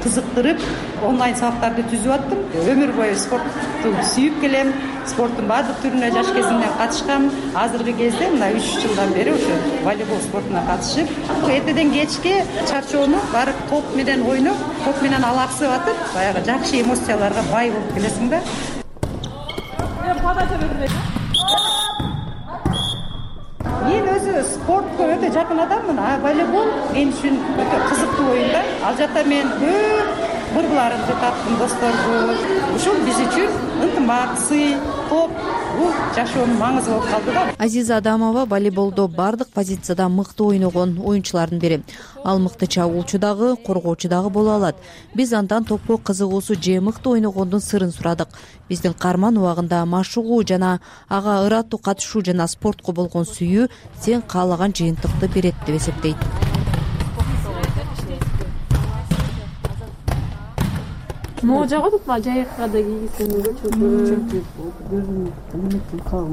кызыктырып, онлайн сабактарды түзүп аттым. Өмүр бою спортту сүйүп келем. Спорттун баардык түрүнө жаш кезимден катышкам. Азыркы кезде мына 3 жылдан бери ушу волейбол спортуна катышып, эртеден кечке чарчоону барып топ менен ойноп, топ менен алаксып атып, баягы жакшы эмоцияларга бай болуп келесиң да. мен өзү спортко өтө жакын адаммын, а волейбол мен үчүн өтө кызыктуу оюн да. Ал жакта мен көп курбуларымды таптым, досторду. Ушул биз үчүн ынтымак, сый, топ бул жашоонун маңызы болуп калды да. Азиза Адамова волейболдо бардык позицияда мыкты ойногон оюнчулардын бири. Ал мыкты чабуучу дагы, коргоочу дагы боло алат. Биз андан топко кызыгуусу же мыкты ойногондун сырын сурадык. Биздин карман убагында машыгуу жана ага ыраттуу катышуу жана спортко болгон сүйүү сен каалаган жыйынтыкты берет деп эсептейт. Могу жагат атпа жайыкка да кийгизсем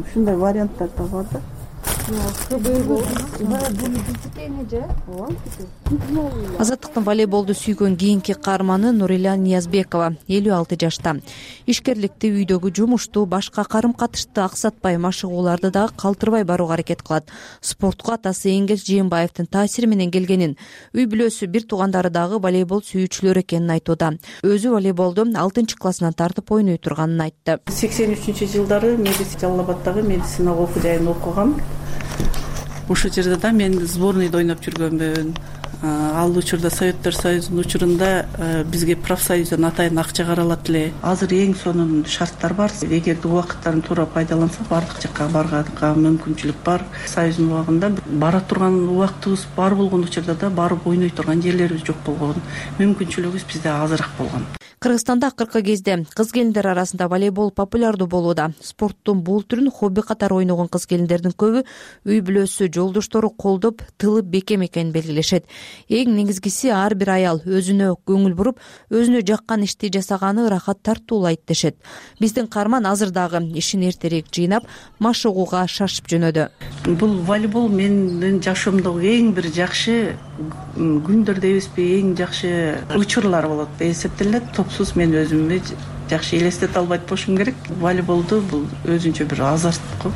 ушундай варианттар да бар да. Азаттыктын волейболду сүйгөн кийинки каарманы Нурила Ниязбекова, 56 жашта. Ишкерликти, үйдөгү жумушту, башка карым-катышты аксатпай, машыгууларды дагы калтырбай барууга аракет кылат. Спортко атасы Эңгел Жээнбаевдин таасири менен келгенин, үй бүлөсү, бир туугандары дагы волейбол сүйүүчүлөр экенин айтууда. Өзү волейболду 6-классынан тартып ойной турганын айтты. 83-жылдары Жалал Абаддагы медицина окуу жайын окугам. Ошол жерде да мен сборныйда ойноп жүргөнмүн. Ал учурда Советтер Союзунун учурунда бизге профсоюздон атайын акча каралат эле. Азыр эң сонун шарттар бар. Эгерде убакыттарын туура пайдаланса, бардык жакка барганга мүмкүнчүлүк бар. Союздун убагында бара турган убактыбыз бар болгон учурда да барып ойной турган жерлерибиз жок болгон. Мүмкүнчүлүгүбүз бизде азыраак болгон. Кыргызстанда акыркы кезде кыз келиндер арасында волейбол популярдуу болууда. Спорттун бул түрүн хобби катары ойногон кыз келиндердин көбү үй бүлөсү, жолдоштору колдоп, тылып бекем экенин белгилешет. Эң негизгиси ар бир аял өзүнө көңүл буруп, өзүнө жаккан ишти жасаганы ырахат тартуулайт дешет. Биздин каарман азыр дагы ишин эртерээк жыйнап, машыгууга шашып жөнөдү. Бул волейбол менин жашоомдогу эң бир жакшы күндөр дейбизби, эң жакшы учурлар болот деп эсептелет. Топсуз мен өзүмдү жакшы элестете албайт болушум керек. Волейболду бул өзүнчө бир азарт го.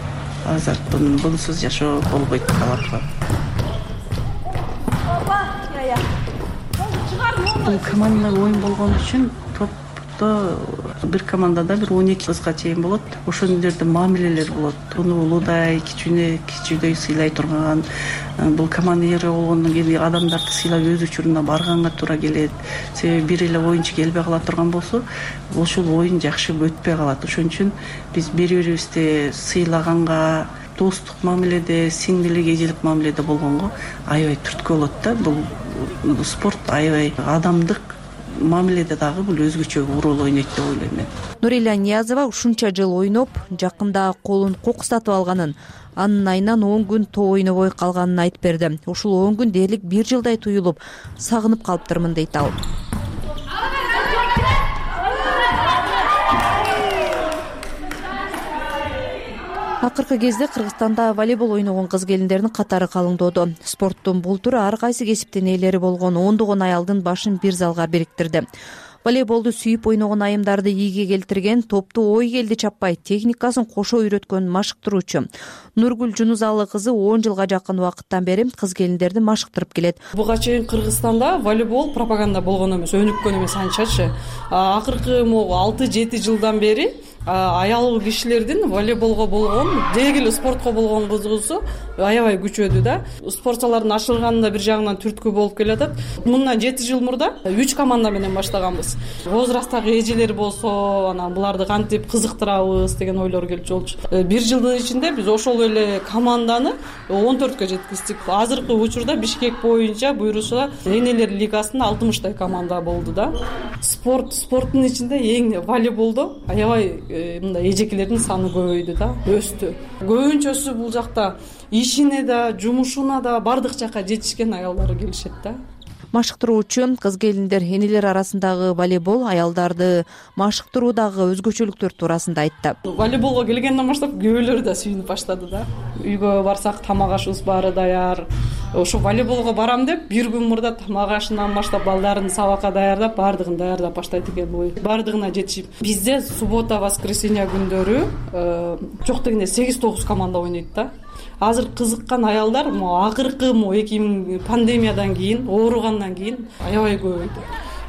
Азарт, бунсуз жашоо болбойт алатпа. Бул командалык оюн болгон үчүн топто бир командада бир 12 кызга чейин болот. Ошол жерде мамилелер болот. Уну улуудай, кичүүдөй сыйлай турган, бул командир болгондон кийин адамдарды сыйлап өз учуруна барганга туура келет. Себеби бир эле оюнчу келбей кала турган болсо, ошол оюн жакшы өтпөй калат. Ошон үчүн биз бири-бирибизди сыйлаганга, достук мамиледе, сиңдилик, эжелик мамиледе болгонго аябай түрткү болот да. Бул спорт аябай адамдык мамиледе дагы бул өзгөчө роль ойнойт деп ойлойм мен. Нурила Ниязова ушунча жыл ойноп, жакында колун кокустатып алганын, анын айынан 10 күн топ ойнобой калганын айтып берди. Ушул 10 күн дээрлик 1 жылдай туюлуп, сагынып калыптырмын дейт ал. Акыркы кезде Кыргызстанда волейбол ойногон кыз келиндердин катары калыңдоодо. Спорттун бул түрү ар кайсы кесиптин ээлери болгон ондогон аялдын башын бир залга бириктирди. Волейболду сүйүп ойногон айымдарды ийге келтирген, топту ой келди чаппай, техникасын кошо үйрөткөн машыктыруучу Нургүл Жунузалы кызы 10 жылга жакын убакыттан бери кыз келиндерди машыктырып келет. Буга чейин Кыргызстанда волейбол пропаганда болгон эмес, өнүккөн эмес анчачы. Акыркы 6-7 жылдан бери аял кишилердин волейболго болгон, деги эле спортко болгон кызыгуусу аябай күчөдү да. Спортчулардын ашырганында бир жагынан түрткү болуп келатат. Мындан 7 жыл мурда 3 команда менен баштаганбыз. Возрасттагы эжелер болсо, анан буларды кантип кызыктырабыз деген ойлор келчү болчу. Бир жылдын ичинде биз ошол эле команданы 14кө жеткиздик. Азыркы учурда Бишкек боюнча буйруса энелер лигасында 60 команда болду да. Спорттун ичинде эң волейболдо аябай мындай эжекелердин саны көбөйдү да, өстү. Көбүнчөсү бул жакта ишине да, жумушуна да бардык жакка жетишкен аялдар келишет да. Машыктыруучу кыз келиндер энелер арасындагы волейбол аялдарды машыктыруудагы өзгөчөлүктөр туурасында айтты. Волейболго келгенден баштап күйөөлөр да сүйүнүп баштады да. Үйгө барсак тамак ашыбыз баары даяр. Ошо волейболго барам деп бир күн мурда тамак ашынан баштап балдарын сабакка даярдап, бардыгын даярдап баштайт экен бой. Бардыгына жетишип. Бизде суббота, воскресенье күндөрү жок дегенде 8-9 команда ойнойт да. Азыр кызыккан аялдар акыркы 2000 пандемиядан кийин, ооругандан кийин аябай көбөйдү.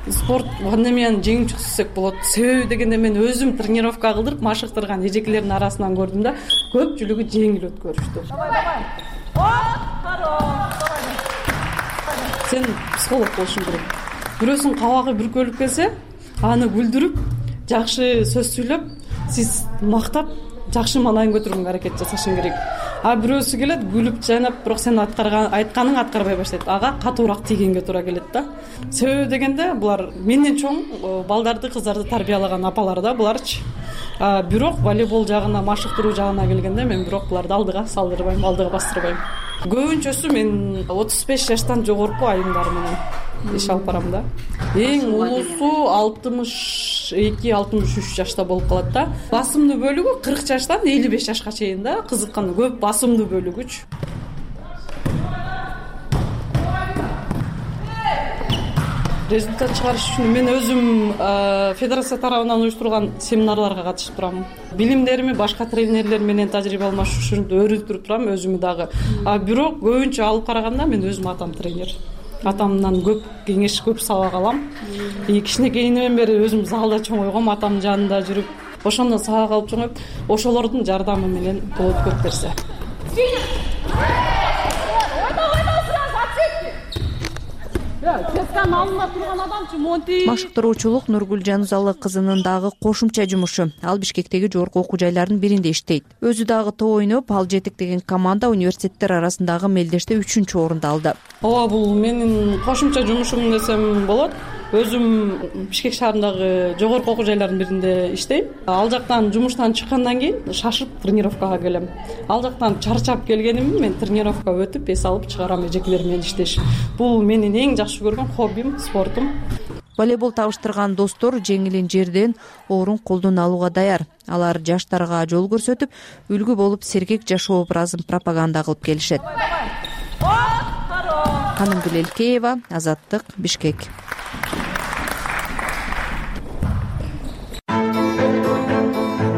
Спорт пандемияны жеңип чыкты десек болот. Себеби дегенде мен өзүм тренировка кылдырып машыктырган эжекелердин арасынан көрдүм да, көпчүлүгү жеңил өткөрүштү. сен психолог болушуң керек. Бирөөсүнүн кабагы бүркөлүп келсе, аны күлдүрүп, жакшы сөз сүйлөп, сиз мактап, жакшы маанайын көтөргөнгө аракет жасашың керек. А бирөөсү келет, күлүп жайнап, бирок сен айтканың аткарбай баштайт. Ага катуураак тийгенге туура келет да. Себеби дегенде булар менден чоң балдарды, кыздарды тарбиялаган апалар да буларчы. Бирок волейбол жагына, машыктыруу жагына келгенде мен бирок буларды алдыга салдырбайм, алдыга бастырбайм. Көбүнчөсү мен 35 жаштан жогорку айымдар менен иш алып барам да. Эң улуусу 62-63 жашта болуп калат да. Басымдуу бөлүгү 40 жаштан 55 жашка чейин да. Кызыккан көп басымдуу бөлүгүчү. Результат чыгарыш үчүн мен өзүм федерация тарабынан уюштурулган семинарларга катышып турам. Билимдерими башка тренерлер менен тажрыйба алмашуу үчүн өөрүндүрүп турам өзүмү дагы. Бирок көбүнчө алып караганда мен өзүм атам тренер. Атамдан көп кеңеш, көп сабак алам. Кичинекейинен бери өзүм залда чоңойгом, атамдын жанында жүрүп, ошондон сабак алып чоңоюп, ошолордун жардамы менен болот көп нерсе. Машыктыруучулук Нургүл Жанузалы кызынын дагы кошумча жумушу. Ал Бишкектеги жогорку окуу жайлардын биринде иштейт. Өзү дагы топ ойноп, ал жетектеген команда университеттер арасындагы мелдеште 3-чү орунду алды. Ооба, бул менин кошумча жумушум десем болот. Өзүм Бишкек шаарындагы жогорку окуу жайлардын биринде иштейм. Ал жактан жумуштан чыккандан кийин шашып тренировкага келем. Ал жактан чарчап келгенимди мен тренировка өтүп, эс алып чыгарам эжекелер менен иштеш. Бул менин эң жакшы көргөн хоббим, спортум. Волейбол табыштырган достор жеңилин жерден, оорун колдон алууга даяр. Алар жаштарга жол көрсөтүп, үлгү болуп сергек жашоо образын пропаганда кылып келишет. Канымгүл Элкеева, Азаттык, Бишкек.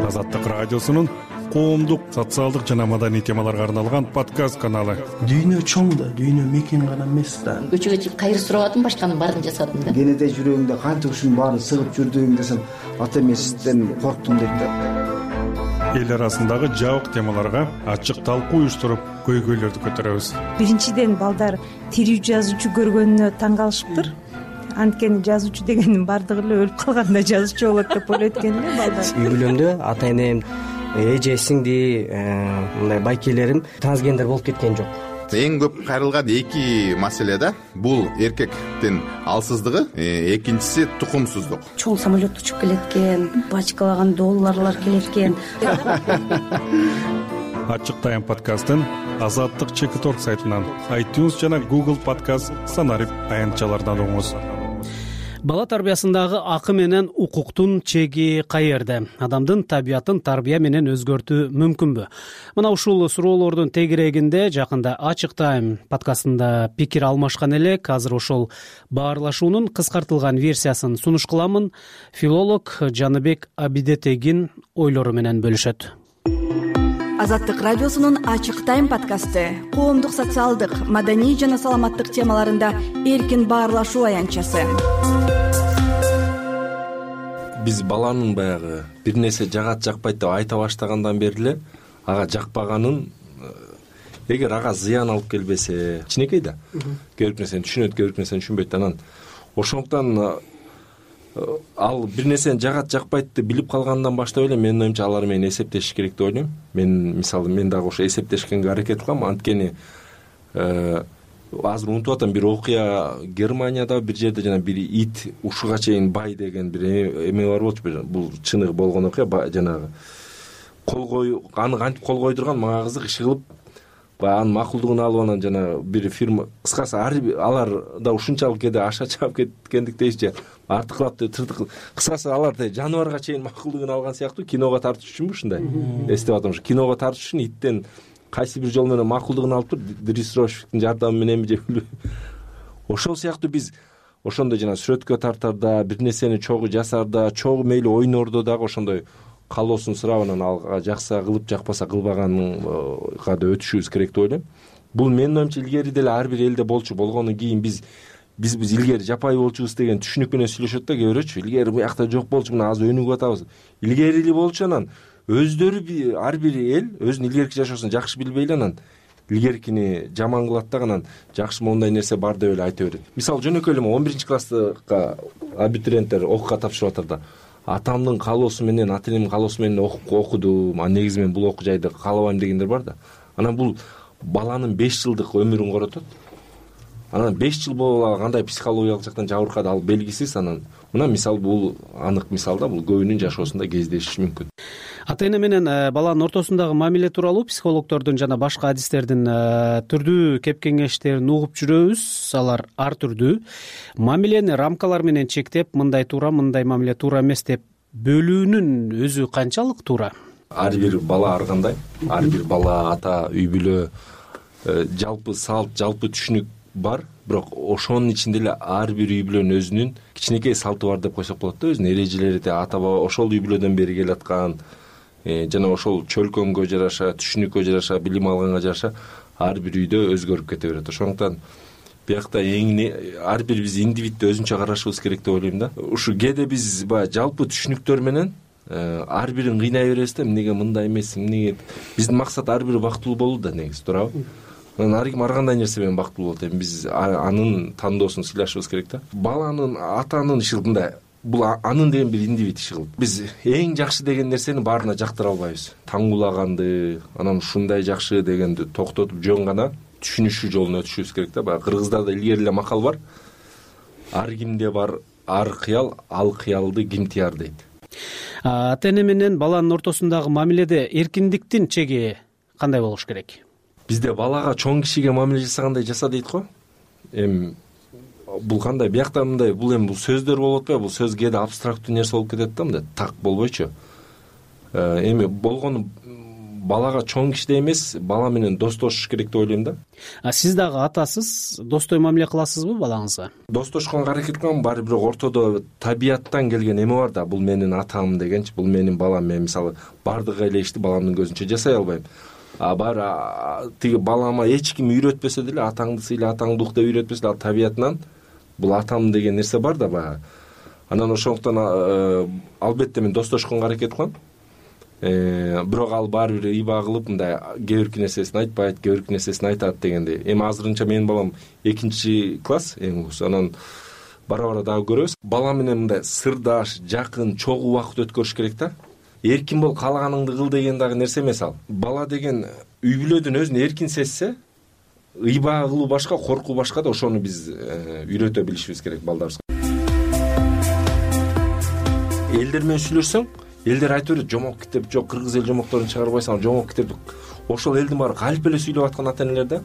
Азаттык радиосунун коомдук, социалдык жана маданий темаларга арналган подкаст каналы. Дүйнө чоң да, дүйнө мекен гана эмес да. Көчөгө чыгып кайыр сурабадым, башканын баарын жасадым да. Кенеде жүрөгүңдө канча ушунун баарын сыгып жүрдүң десем, ата эмесизден корктум дейт да. Эл арасындагы жабык темаларга ачык талкуу уюштуруп, көйгөйлөрдү көтөрөбүз. Биринчиден балдар тирүү жазуучу көргөнүнө таң калышыптыр. Анткени жазуучу дегенин бардыгы эле өлүп калганда жазуучу болот деп ойлойт экен да балдар. Үй бүлөмдө ата энем, эже, сиңди, мындай байкелерим трансгендер болуп кеткен жок. Эң көп кайрылган эки маселе да. Бул эркектин алсыздыгы, экинчиси тукумсуздук. Чоң самолет учуп келеткен, бачкалаган долларлар келеткен. Ачык тайм подкастын Азаттык ЧК сайтынан, iTunes жана Google подкаст санарип аянтчалардан угуңуз. Бала тарбиясындагы акы менен укуктун чеги каерде? Адамдын табиятын тарбия менен өзгөртүү мүмкүнбү? Мына ушул суроолордун тегерегинде жакында Ачык тайм подкастында пикир алмашкан элек. Азыр ошол баарлашуунун кыскартылган версиясын сунуш кыламын. Филолог Жаныбек Абидетегин ойлору менен бөлүшөт. Азаттык радиосунун Ачык тайм подкасты коомдук, социалдык, маданий жана саламаттык темаларында эркин баарлашуу аянтчасы. Биз баланын баягы бир нерсе жагат жакпайт деп айта баштагандан бери эле ага жакпаганын, эгер ага зыян алып келбесе, кичинекей да. Кээ бир нерсени түшүнөт, кээ бир нерсени түшүнбөйт. Анан ошондуктан ал бир нерсени жагат жакпайт деп билип калгандан баштап эле менин оюмча алар менен эсептешиш керек деп ойлойм. Мен мисалы мен дагы ошо эсептешкенге аракет кылам. Анткени азыр унутуп атам, бир окуя Германияда бир жерде жана бир ит ушуга чейин бай деген бир эме бар болчу. Бул чыныгы болгон окуя, жанагы аны кантип кол койдурган, мага кызык, иши кылып анын макулдугун алып, анан жана бир фирма, кыскасы алар да ушунчалык кээде аша чаап кеткендиктей же артыклап тыртык, кыскасы алар жаныбарга чейин макулдугун алган сыяктуу. Киного тартыш үчүнбү ушундай эстеп атам. Ушу киного тартыш үчүн иттен кайсы бир жол менен макулдугун алып тур, дрессировщиктин жардамы мененби же билбейм. Ошол сыяктуу биз ошондой жана сүрөткө тартарда, бир нерсени чогуу жасарда, чогуу мейли ойнордо дагы ошондой калоосун сурап, анан ага жакса кылып, жакпаса кылбаганга да өтүшүбүз керек деп ойлойм. Бул менин оюмча илгери деле ар бир элде болчу. Болгондон кийин биз илгери жапай болчубуз деген түшүнүк менен сүйлөшөт да кээ бирөөчү. Илгери буякта жок болчу, мына азыр өнүгүп атабыз. Илгери эле болчу, анан өздөрү ар бир эл өзүнүн илгерки жашоосун жакшы билбей эле анан илгеркини жаман кылат да анан жакшы моундай нерсе бар деп эле айта берет. Мисалы жөнөкөй эле 11 класска абитуриенттер окууга тапшырып атат да, атамдын каалоосу менен, ата энемдин каалоосу менен окудум, негизи мен бул окуу жайды каалабайм дегендер бар да. Анан бул баланын 5 жылдык өмүрүн коротот. Анан 5 жыл болуп кандай психологиялык жактан жабыркады ал белгисиз. Анан мына мисал бул анык мисал да, бул көбүнүн жашоосунда кездешиши мүмкүн. Ата эне менен баланын ортосундагы мамиле тууралуу психологдордун жана башка адистердин түрдүү кеп кеңештерин угуп жүрөбүз. Алар ар түрдүү. Мамилени рамкалар менен чектеп, мындай туура, мындай мамиле туура эмес деп бөлүүнүн өзү канчалык туура? Ар бир бала ар кандай, ар бир бала, ата, үй бүлө, жалпы салт, жалпы түшүнүк бар, бирок ошонун ичинде эле ар бир үй бүлөнүн өзүнүн кичинекей салты бар деп койсок болот да, өзүнүн эрежелери, ата баба ошол үй бүлөдөн бери келаткан жана ошол чөлкөмгө жараша, түшүнүккө жараша, билим алганга жараша ар бир үйдө өзгөрүп кете берет. Ошондуктан биякта ар бир биз индивидти өзүнчө карашыбыз керек деп ойлойм да. Ушу кээде биз баягы жалпы түшүнүктөр менен ар бирин кыйнай беребиз да, эмнеге мындай эмес, эмнеге. Биздин максат ар бири бактылуу болуу да, негизи, туурабы? Анан ар ким ар кандай нерсе менен бактылуу болот. Эми биз анын тандоосун сыйлашыбыз керек да. Баланын атанын иши мындай, бул анын деген бир индивид иши кылып. Биз эң жакшы деген нерсени баарына жактыра албайбыз. Таңгуулаганды, анан ушундай жакшы дегенди токтотуп жөн гана түшүнүшүү жолуна өтүшүбүз керек да. Баягы кыргыздарда илгери эле макал бар. Ар кимде бар ар кыял, ал кыялды ким тияр дейт. Ата эне менен баланын ортосундагы мамиледе эркиндиктин чеги кандай болуш керек? Бизде балага чоң кишиге мамиле жасагандай жаса дейт го. Эми бул кандай, биякта мындай, бул эми бул сөздөр болуп атпайбы? Бул сөз кээде абстрактуу нерсе болуп кетет да, мындай так болбойчу. Эми болгону балага чоң кишидей эмес, бала менен достошуш керек деп ойлойм да. Сиз дагы атасыз, достой мамиле кыласызбы балаңызга? Достошконго аракет кылам, баары бирок ортодо табияттан келген эме бар да, бул менин атам дегенчи, бул менин балам. Мен мисалы бардык эле ишти баламдын көзүнчө жасай албайм. Баары тиги балама эч ким үйрөтпөсө деле, атаңды сыйла, атаңды ук деп үйрөтпөсө деле, ал табиятынан бул атам деген нерсе бар да баягы. Анан ошондуктан албетте мен достошконго аракет кылам. Бирок ал баары бир ыйба кылып мындай кээ бирки нерсесин айтпайт, кээ бирки нерсесин айтат дегендей. Эми азырынча менин балам 2-класс, эң улуусу. Анан бара-бара дагы көрөбүз. Бала менен мындай сырдаш, жакын, чогуу убакыт өткөрүш керек да. Эркин бол, каалаганыңды кыл деген дагы нерсе эмес ал. Бала деген үй бүлөдөн өзүн эркин сезсе, ыйба кылуу башка, коркуу башка да, ошону биз үйрөтө билишибиз керек балдарыбызга. Элдер менен сүйлөшсөң, элдер айтып берет, жомок китеп жок, кыргыз эл жомокторун чыгарбайсың, жомок китеп. Ошол элдин баары калп эле сүйлөп аткан ата энелер да.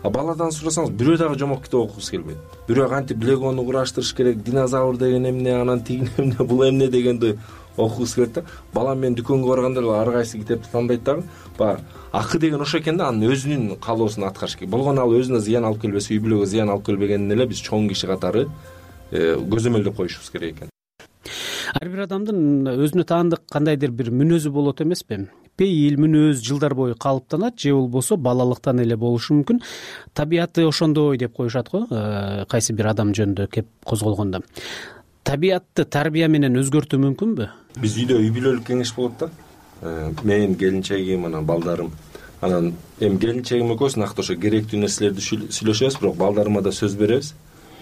Баладан сурасаңыз, бирөө дагы жомок китеп окугусу келбейт. Бирөө кантип легону кураштырыш керек, динозавр деген эмне, анан тиги эмне, бул эмне дегенди окугусу келет да. Балам менен дүкөнгө барганда эле ар кайсы китепти тандайт дагы. Баягы акы деген ошо экен да, анын өзүнүн каалоосун аткарыш керек. Болгону ал өзүнө зыян алып келбесе, үй бүлөгө зыян алып келбегенин эле биз чоң киши катары көзөмөлдөп коюшубуз керек экен. Ар бир адамдын өзүнө таандык кандайдыр бир мүнөзү болот эмеспи? Пейил мүнөз жылдар бою калыптанат, же болбосо балалыктан эле болушу мүмкүн. Табияты ошондой деп коюшат го, кайсы бир адам жөнүндө кеп козголгондо. Табиятты тарбия менен өзгөртүү мүмкүнбү? Биз үйдө үй бүлөлүк кеңеш болот да. Мен келинчегим, анан балдарым. Анан эми келинчегим экөөбүз накты ошо керектүү нерселерди сүйлөшөбүз, бирок балдарыма да сөз беребиз.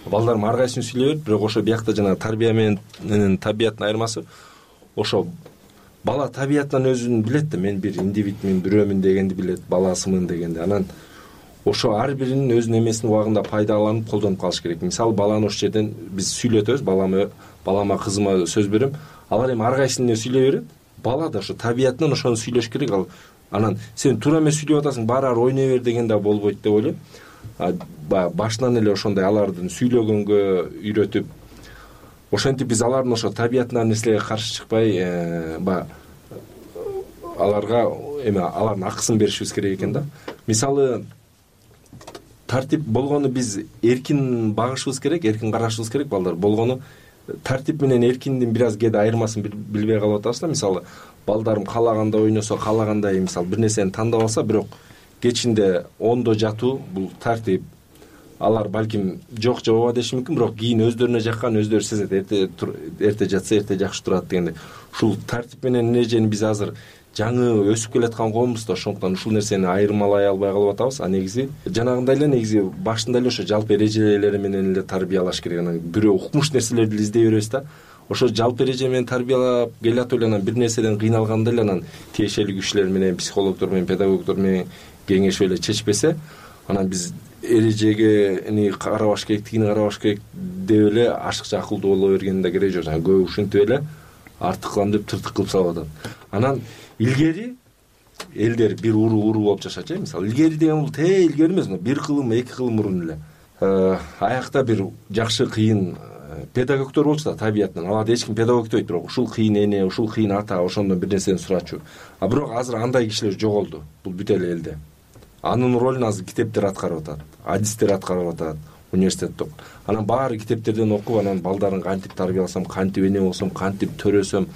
Балдарым ар кайсын сүйлөй берет, бирок ошо биякта жана тарбия менен табияттын айырмасы ошо бала табиятынан өзүн билет да, мен бир индивидмин, бирөөмүн дегенди билет, баласымын дегенди. Анан ошо ар биринин өзүнүн эмесин убагында пайдаланып колдонуп калыш керек. Мисалы баланы ошол жерден биз сүйлөтөбүз, балама, кызыма сөз берем. Алар эми ар кайсын эмне сүйлөй берет. Бала да ошо табиятынан ошону сүйлөш керек. Анан сен туура эмес сүйлөп атасың, баары ойной бер деген да болбойт деп ойлойм. Башынан эле ошондой алардын сүйлөгөнгө үйрөтүп, ошентип биз алардын ошо табиятынан нерселерге каршы чыкпай, аларга алардын акысын беришибиз керек экен да. Мисалы тартип болгону биз эркин багышыбыз керек, эркин карашыбыз керек. Балдар болгону тартип менен эркиндин бир аз кээде айырмасын билбей калып атабыз да. Мисалы балдарым каалагандай ойносо, каалагандай мисалы бир нерсени тандап алса, бирок кечинде ондо жатуу бул тартип. Алар балким жок же ооба деши мүмкүн, бирок кийин өздөрүнө жаккан өздөрү сезет. Эрте жатса эрте жакшы турат дегенде. Ушул тартип менен эрежени биз азыр жаңы өсүп келаткан коомбуз да, ошондуктан ушул нерсени айырмалай албай калып атабыз. А негизи жанагындай эле негизи башында эле ошо жалпы эрежелери менен эле тарбиялаш керек. Анан бирөө укмуш нерселерди издей беребиз да. Ошо жалпы эреже менен тарбиялап келатып эле анан бир нерседен кыйналганда эле анан тиешелүү кишилер менен, психологдор менен, педагогдор менен кеңешип эле чечпесе, анан биз эрежеге карабаш керек, тигини карабаш керек деп эле ашыкча акылдуу боло бергендин да кереги жок. Көп ушинтип эле артык кылам деп тыртык кылып салып атат. Анан илгери элдер бир уру болуп жашачу. Мисалы илгери деген бул илгери эмес, бир кылым, эки кылым мурун эле аякта бир жакшы кыйын педагогдор болчу да табиятынан. Аларды эч ким педагог дейт, бирок ушул кыйын эне, ушул кыйын ата, ошондон бир нерсени сурачу. А бирок азыр андай кишилер жоголду. Бул бүт эле элде. Анын ролун азыр китептер аткарып атат, адистер аткарып атат, университетте. Анан баары китептерден окуп, анан балдарын кантип тарбияласам, кантип эне болсом, кантип төрөсөм,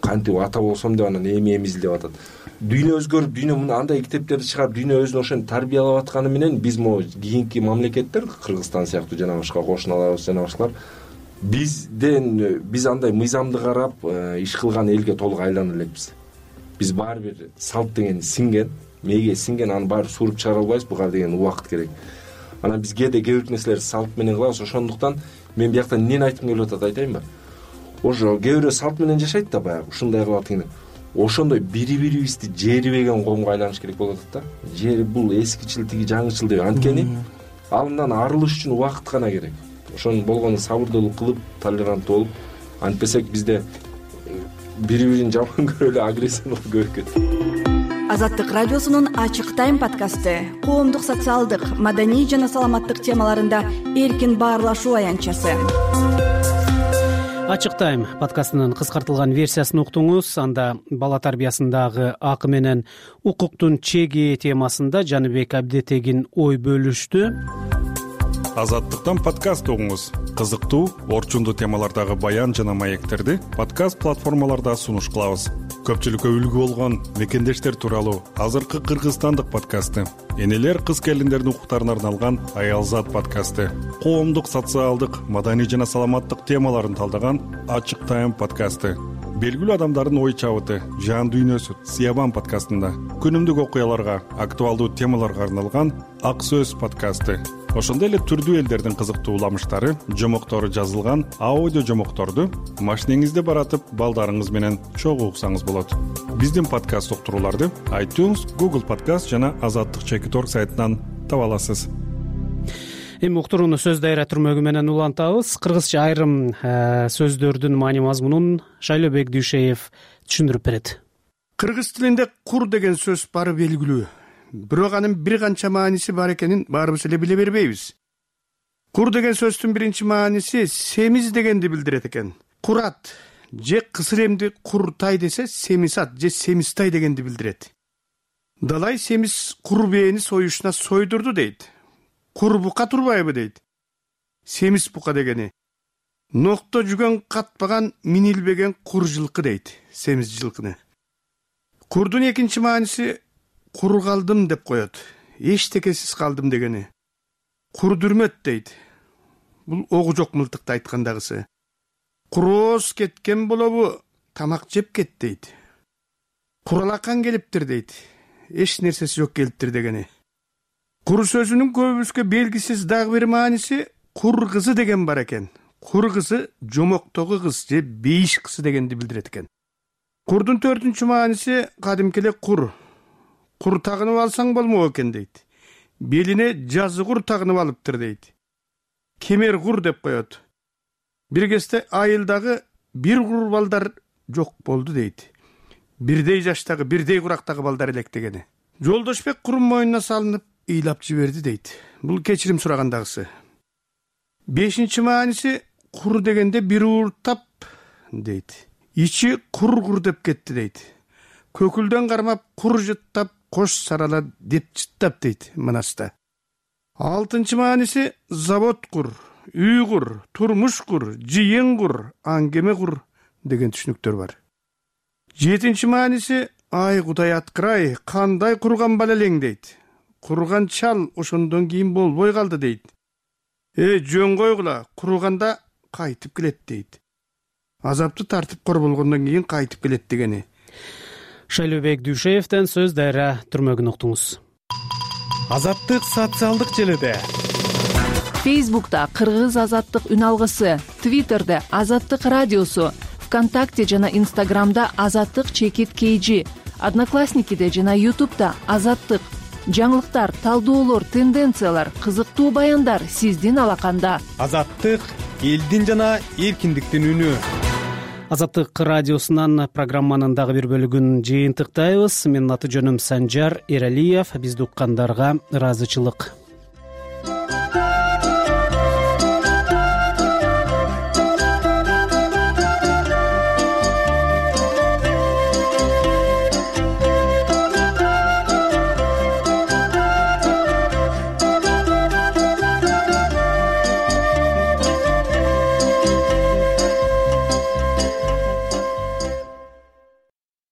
кантип ата болсом деп анан эми издеп атат. Дүйнө өзгөрүп, дүйнө мына андай китептерди чыгарып, дүйнө өзүн ошентип тарбиялап атканы менен биз могу кийинки мамлекеттер, Кыргызстан сыяктуу жана башка кошуналарыбыз жана башкалар биз андай мыйзамды карап иш кылган элге толук айлана элекпиз. Биз баары бир салт деген сиңген, мээге сиңген, аны баары сууруп чыгара албайбыз, буга деген убакыт керек. Анан биз кээде кээ бир нерселерди салт менен кылабыз. Ошондуктан мен биякта эмнени айткым келип атат айтайынбы? Ошо кээ бирөө салт менен жашайт да, баягы ушундай кылып атат. Ошондой бири-бирибизди жерибеген коомго айланыш керек болуп атат да. Жери бул эскичил, тиги жаңычыл деп. Анткени алындан арылыш үчүн убакыт гана керек. Ошонун болгону сабырдуулук кылып, толеранттуу болуп, антпесек бизде бири-бирин жаман көрүп эле агрессиялык көбөйүп кетти. Азаттык радиосунун Ачык тайм подкасты коомдук, социалдык, маданий жана саламаттык темаларында эркин баарлашуу аянтчасы. Ачык тайм подкастынын кыскартылган версиясын уктуңуз. Анда бала тарбиясындагы акы менен укуктун чеги темасында Жаныбек Абдетегин ой бөлүштү. Азаттыктан подкаст угуңуз. Кызыктуу, орчундуу темалардагы баян жана маектерди подкаст платформаларда сунуш кылабыз. Көпчүлүккө үлгү болгон мекендештер тууралуу азыркы кыргызстандык подкасты, энелер, кыз келиндердин укуктарына арналган Аялзат подкасты, коомдук, социалдык, маданий жана саламаттык темаларын талдаган Ачык тайм подкасты, белгилүү адамдардын ой чабыты, жан дүйнөсү Сиябан подкастында, күнүмдүк окуяларга, актуалдуу темаларга арналган Ак сөз подкасты, ошондой эле түрдүү элдердин кызыктуу уламыштары, жомоктору жазылган аудио жомокторду машинеңизде баратып балдарыңыз менен чогуу уксаңыз болот. Биздин подкаст уктурууларды iTunes, Google Podcast жана Азаттык.org сайтынан таба аласыз. Эми уктурууну сөз дайра түрмөгү менен улантабыз. Кыргызча айрым сөздөрдүн маани мазмунун Шайлообек Дүйшеев түшүндүрүп берет. Кыргыз тилинде кур деген сөз бары белгилүү. Бирок анын бир канча мааниси бар экенин баарыбыз эле биле бербейбиз. Кур деген сөздүн биринчи мааниси семиз дегенди билдирет экен. Курат же кысыр эмди куртай десе семисат же семистай дегенди билдирет. Далай семиз кур бээни союшуна сойдурду дейт. Кур бука турбайбы дейт. Семиз бука дегени. Нокто жүгөн катпаган минилбеген кур жылкы дейт. Семиз жылкыны. Курдун экинчи мааниси кур калдым деп коет. Эчтекесиз калдым дегени. Курдүрмөт дейт. Бул огу жок мылтыкты айткандагысы. Курооз кеткен болобу, тамак жеп кет дейт. Куралакан келиптир дейт. Эч нерсеси жок келиптир дегени. Кур сөзүнүн көбүбүзгө белгисиз дагы бир мааниси кур кызы деген бар экен. Кур кызы жомоктогу кыз же бейиш кызы дегенди билдирет экен. Курдун төртүнчү мааниси кадимки эле кур. Кур тагынып алсаң болмок экен дейт. Белине жазы кур тагынып алыптыр дейт. Кемер кур деп коет. Бир кезде айылдагы бир кур балдар жок болду дейт. Бирдей жаштагы, бирдей курактагы балдар элек дегени. Жолдошбек курун мойнуна салынып ыйлап жиберди дейт. Бул кечирим сурагандагысы. Бешинчи мааниси кур дегенде бир ууртап дейт. Ичи кур деп кетти дейт. Көкүлдөн кармап кур жыттап кош сарала деп жыттап дейт мынаста. Алтынчы мааниси завод кур, үй кур, турмуш кур, жыйын кур, аңгеме кур деген түшүнүктөр бар. Жетинчи мааниси ай кудай аткырай, кандай курган бала элең дейт. Курган чал ошондон кийин болбой калды дейт. Жөн койгула, курганда кайтып келет дейт. Азапты тартып кор болгондон кийин кайтып келет дегени. Шайлообек Дүйшеевден сөз Дайра Түрмөгүн уктуңуз. Азаттык социалдык желиде. Фейсбукта Кыргыз азаттык үн алгысы, Твиттерде Азаттык радиосу, ВКонтакте жана Инстаграмда Азаттык _KG, Одноклассникиде жана Ютубта Азаттык. Жаңылыктар, талдоолор, тенденциялар, кызыктуу баяндар сиздин алаканда. Азаттык элдин жана эркиндиктин үнү. Азаттык радиосунан программанын дагы бир бөлүгүн жыйынтыктайбыз. Менин аты жөнүм Санжар Эралиев. Бизди уккандарга ыраазычылык.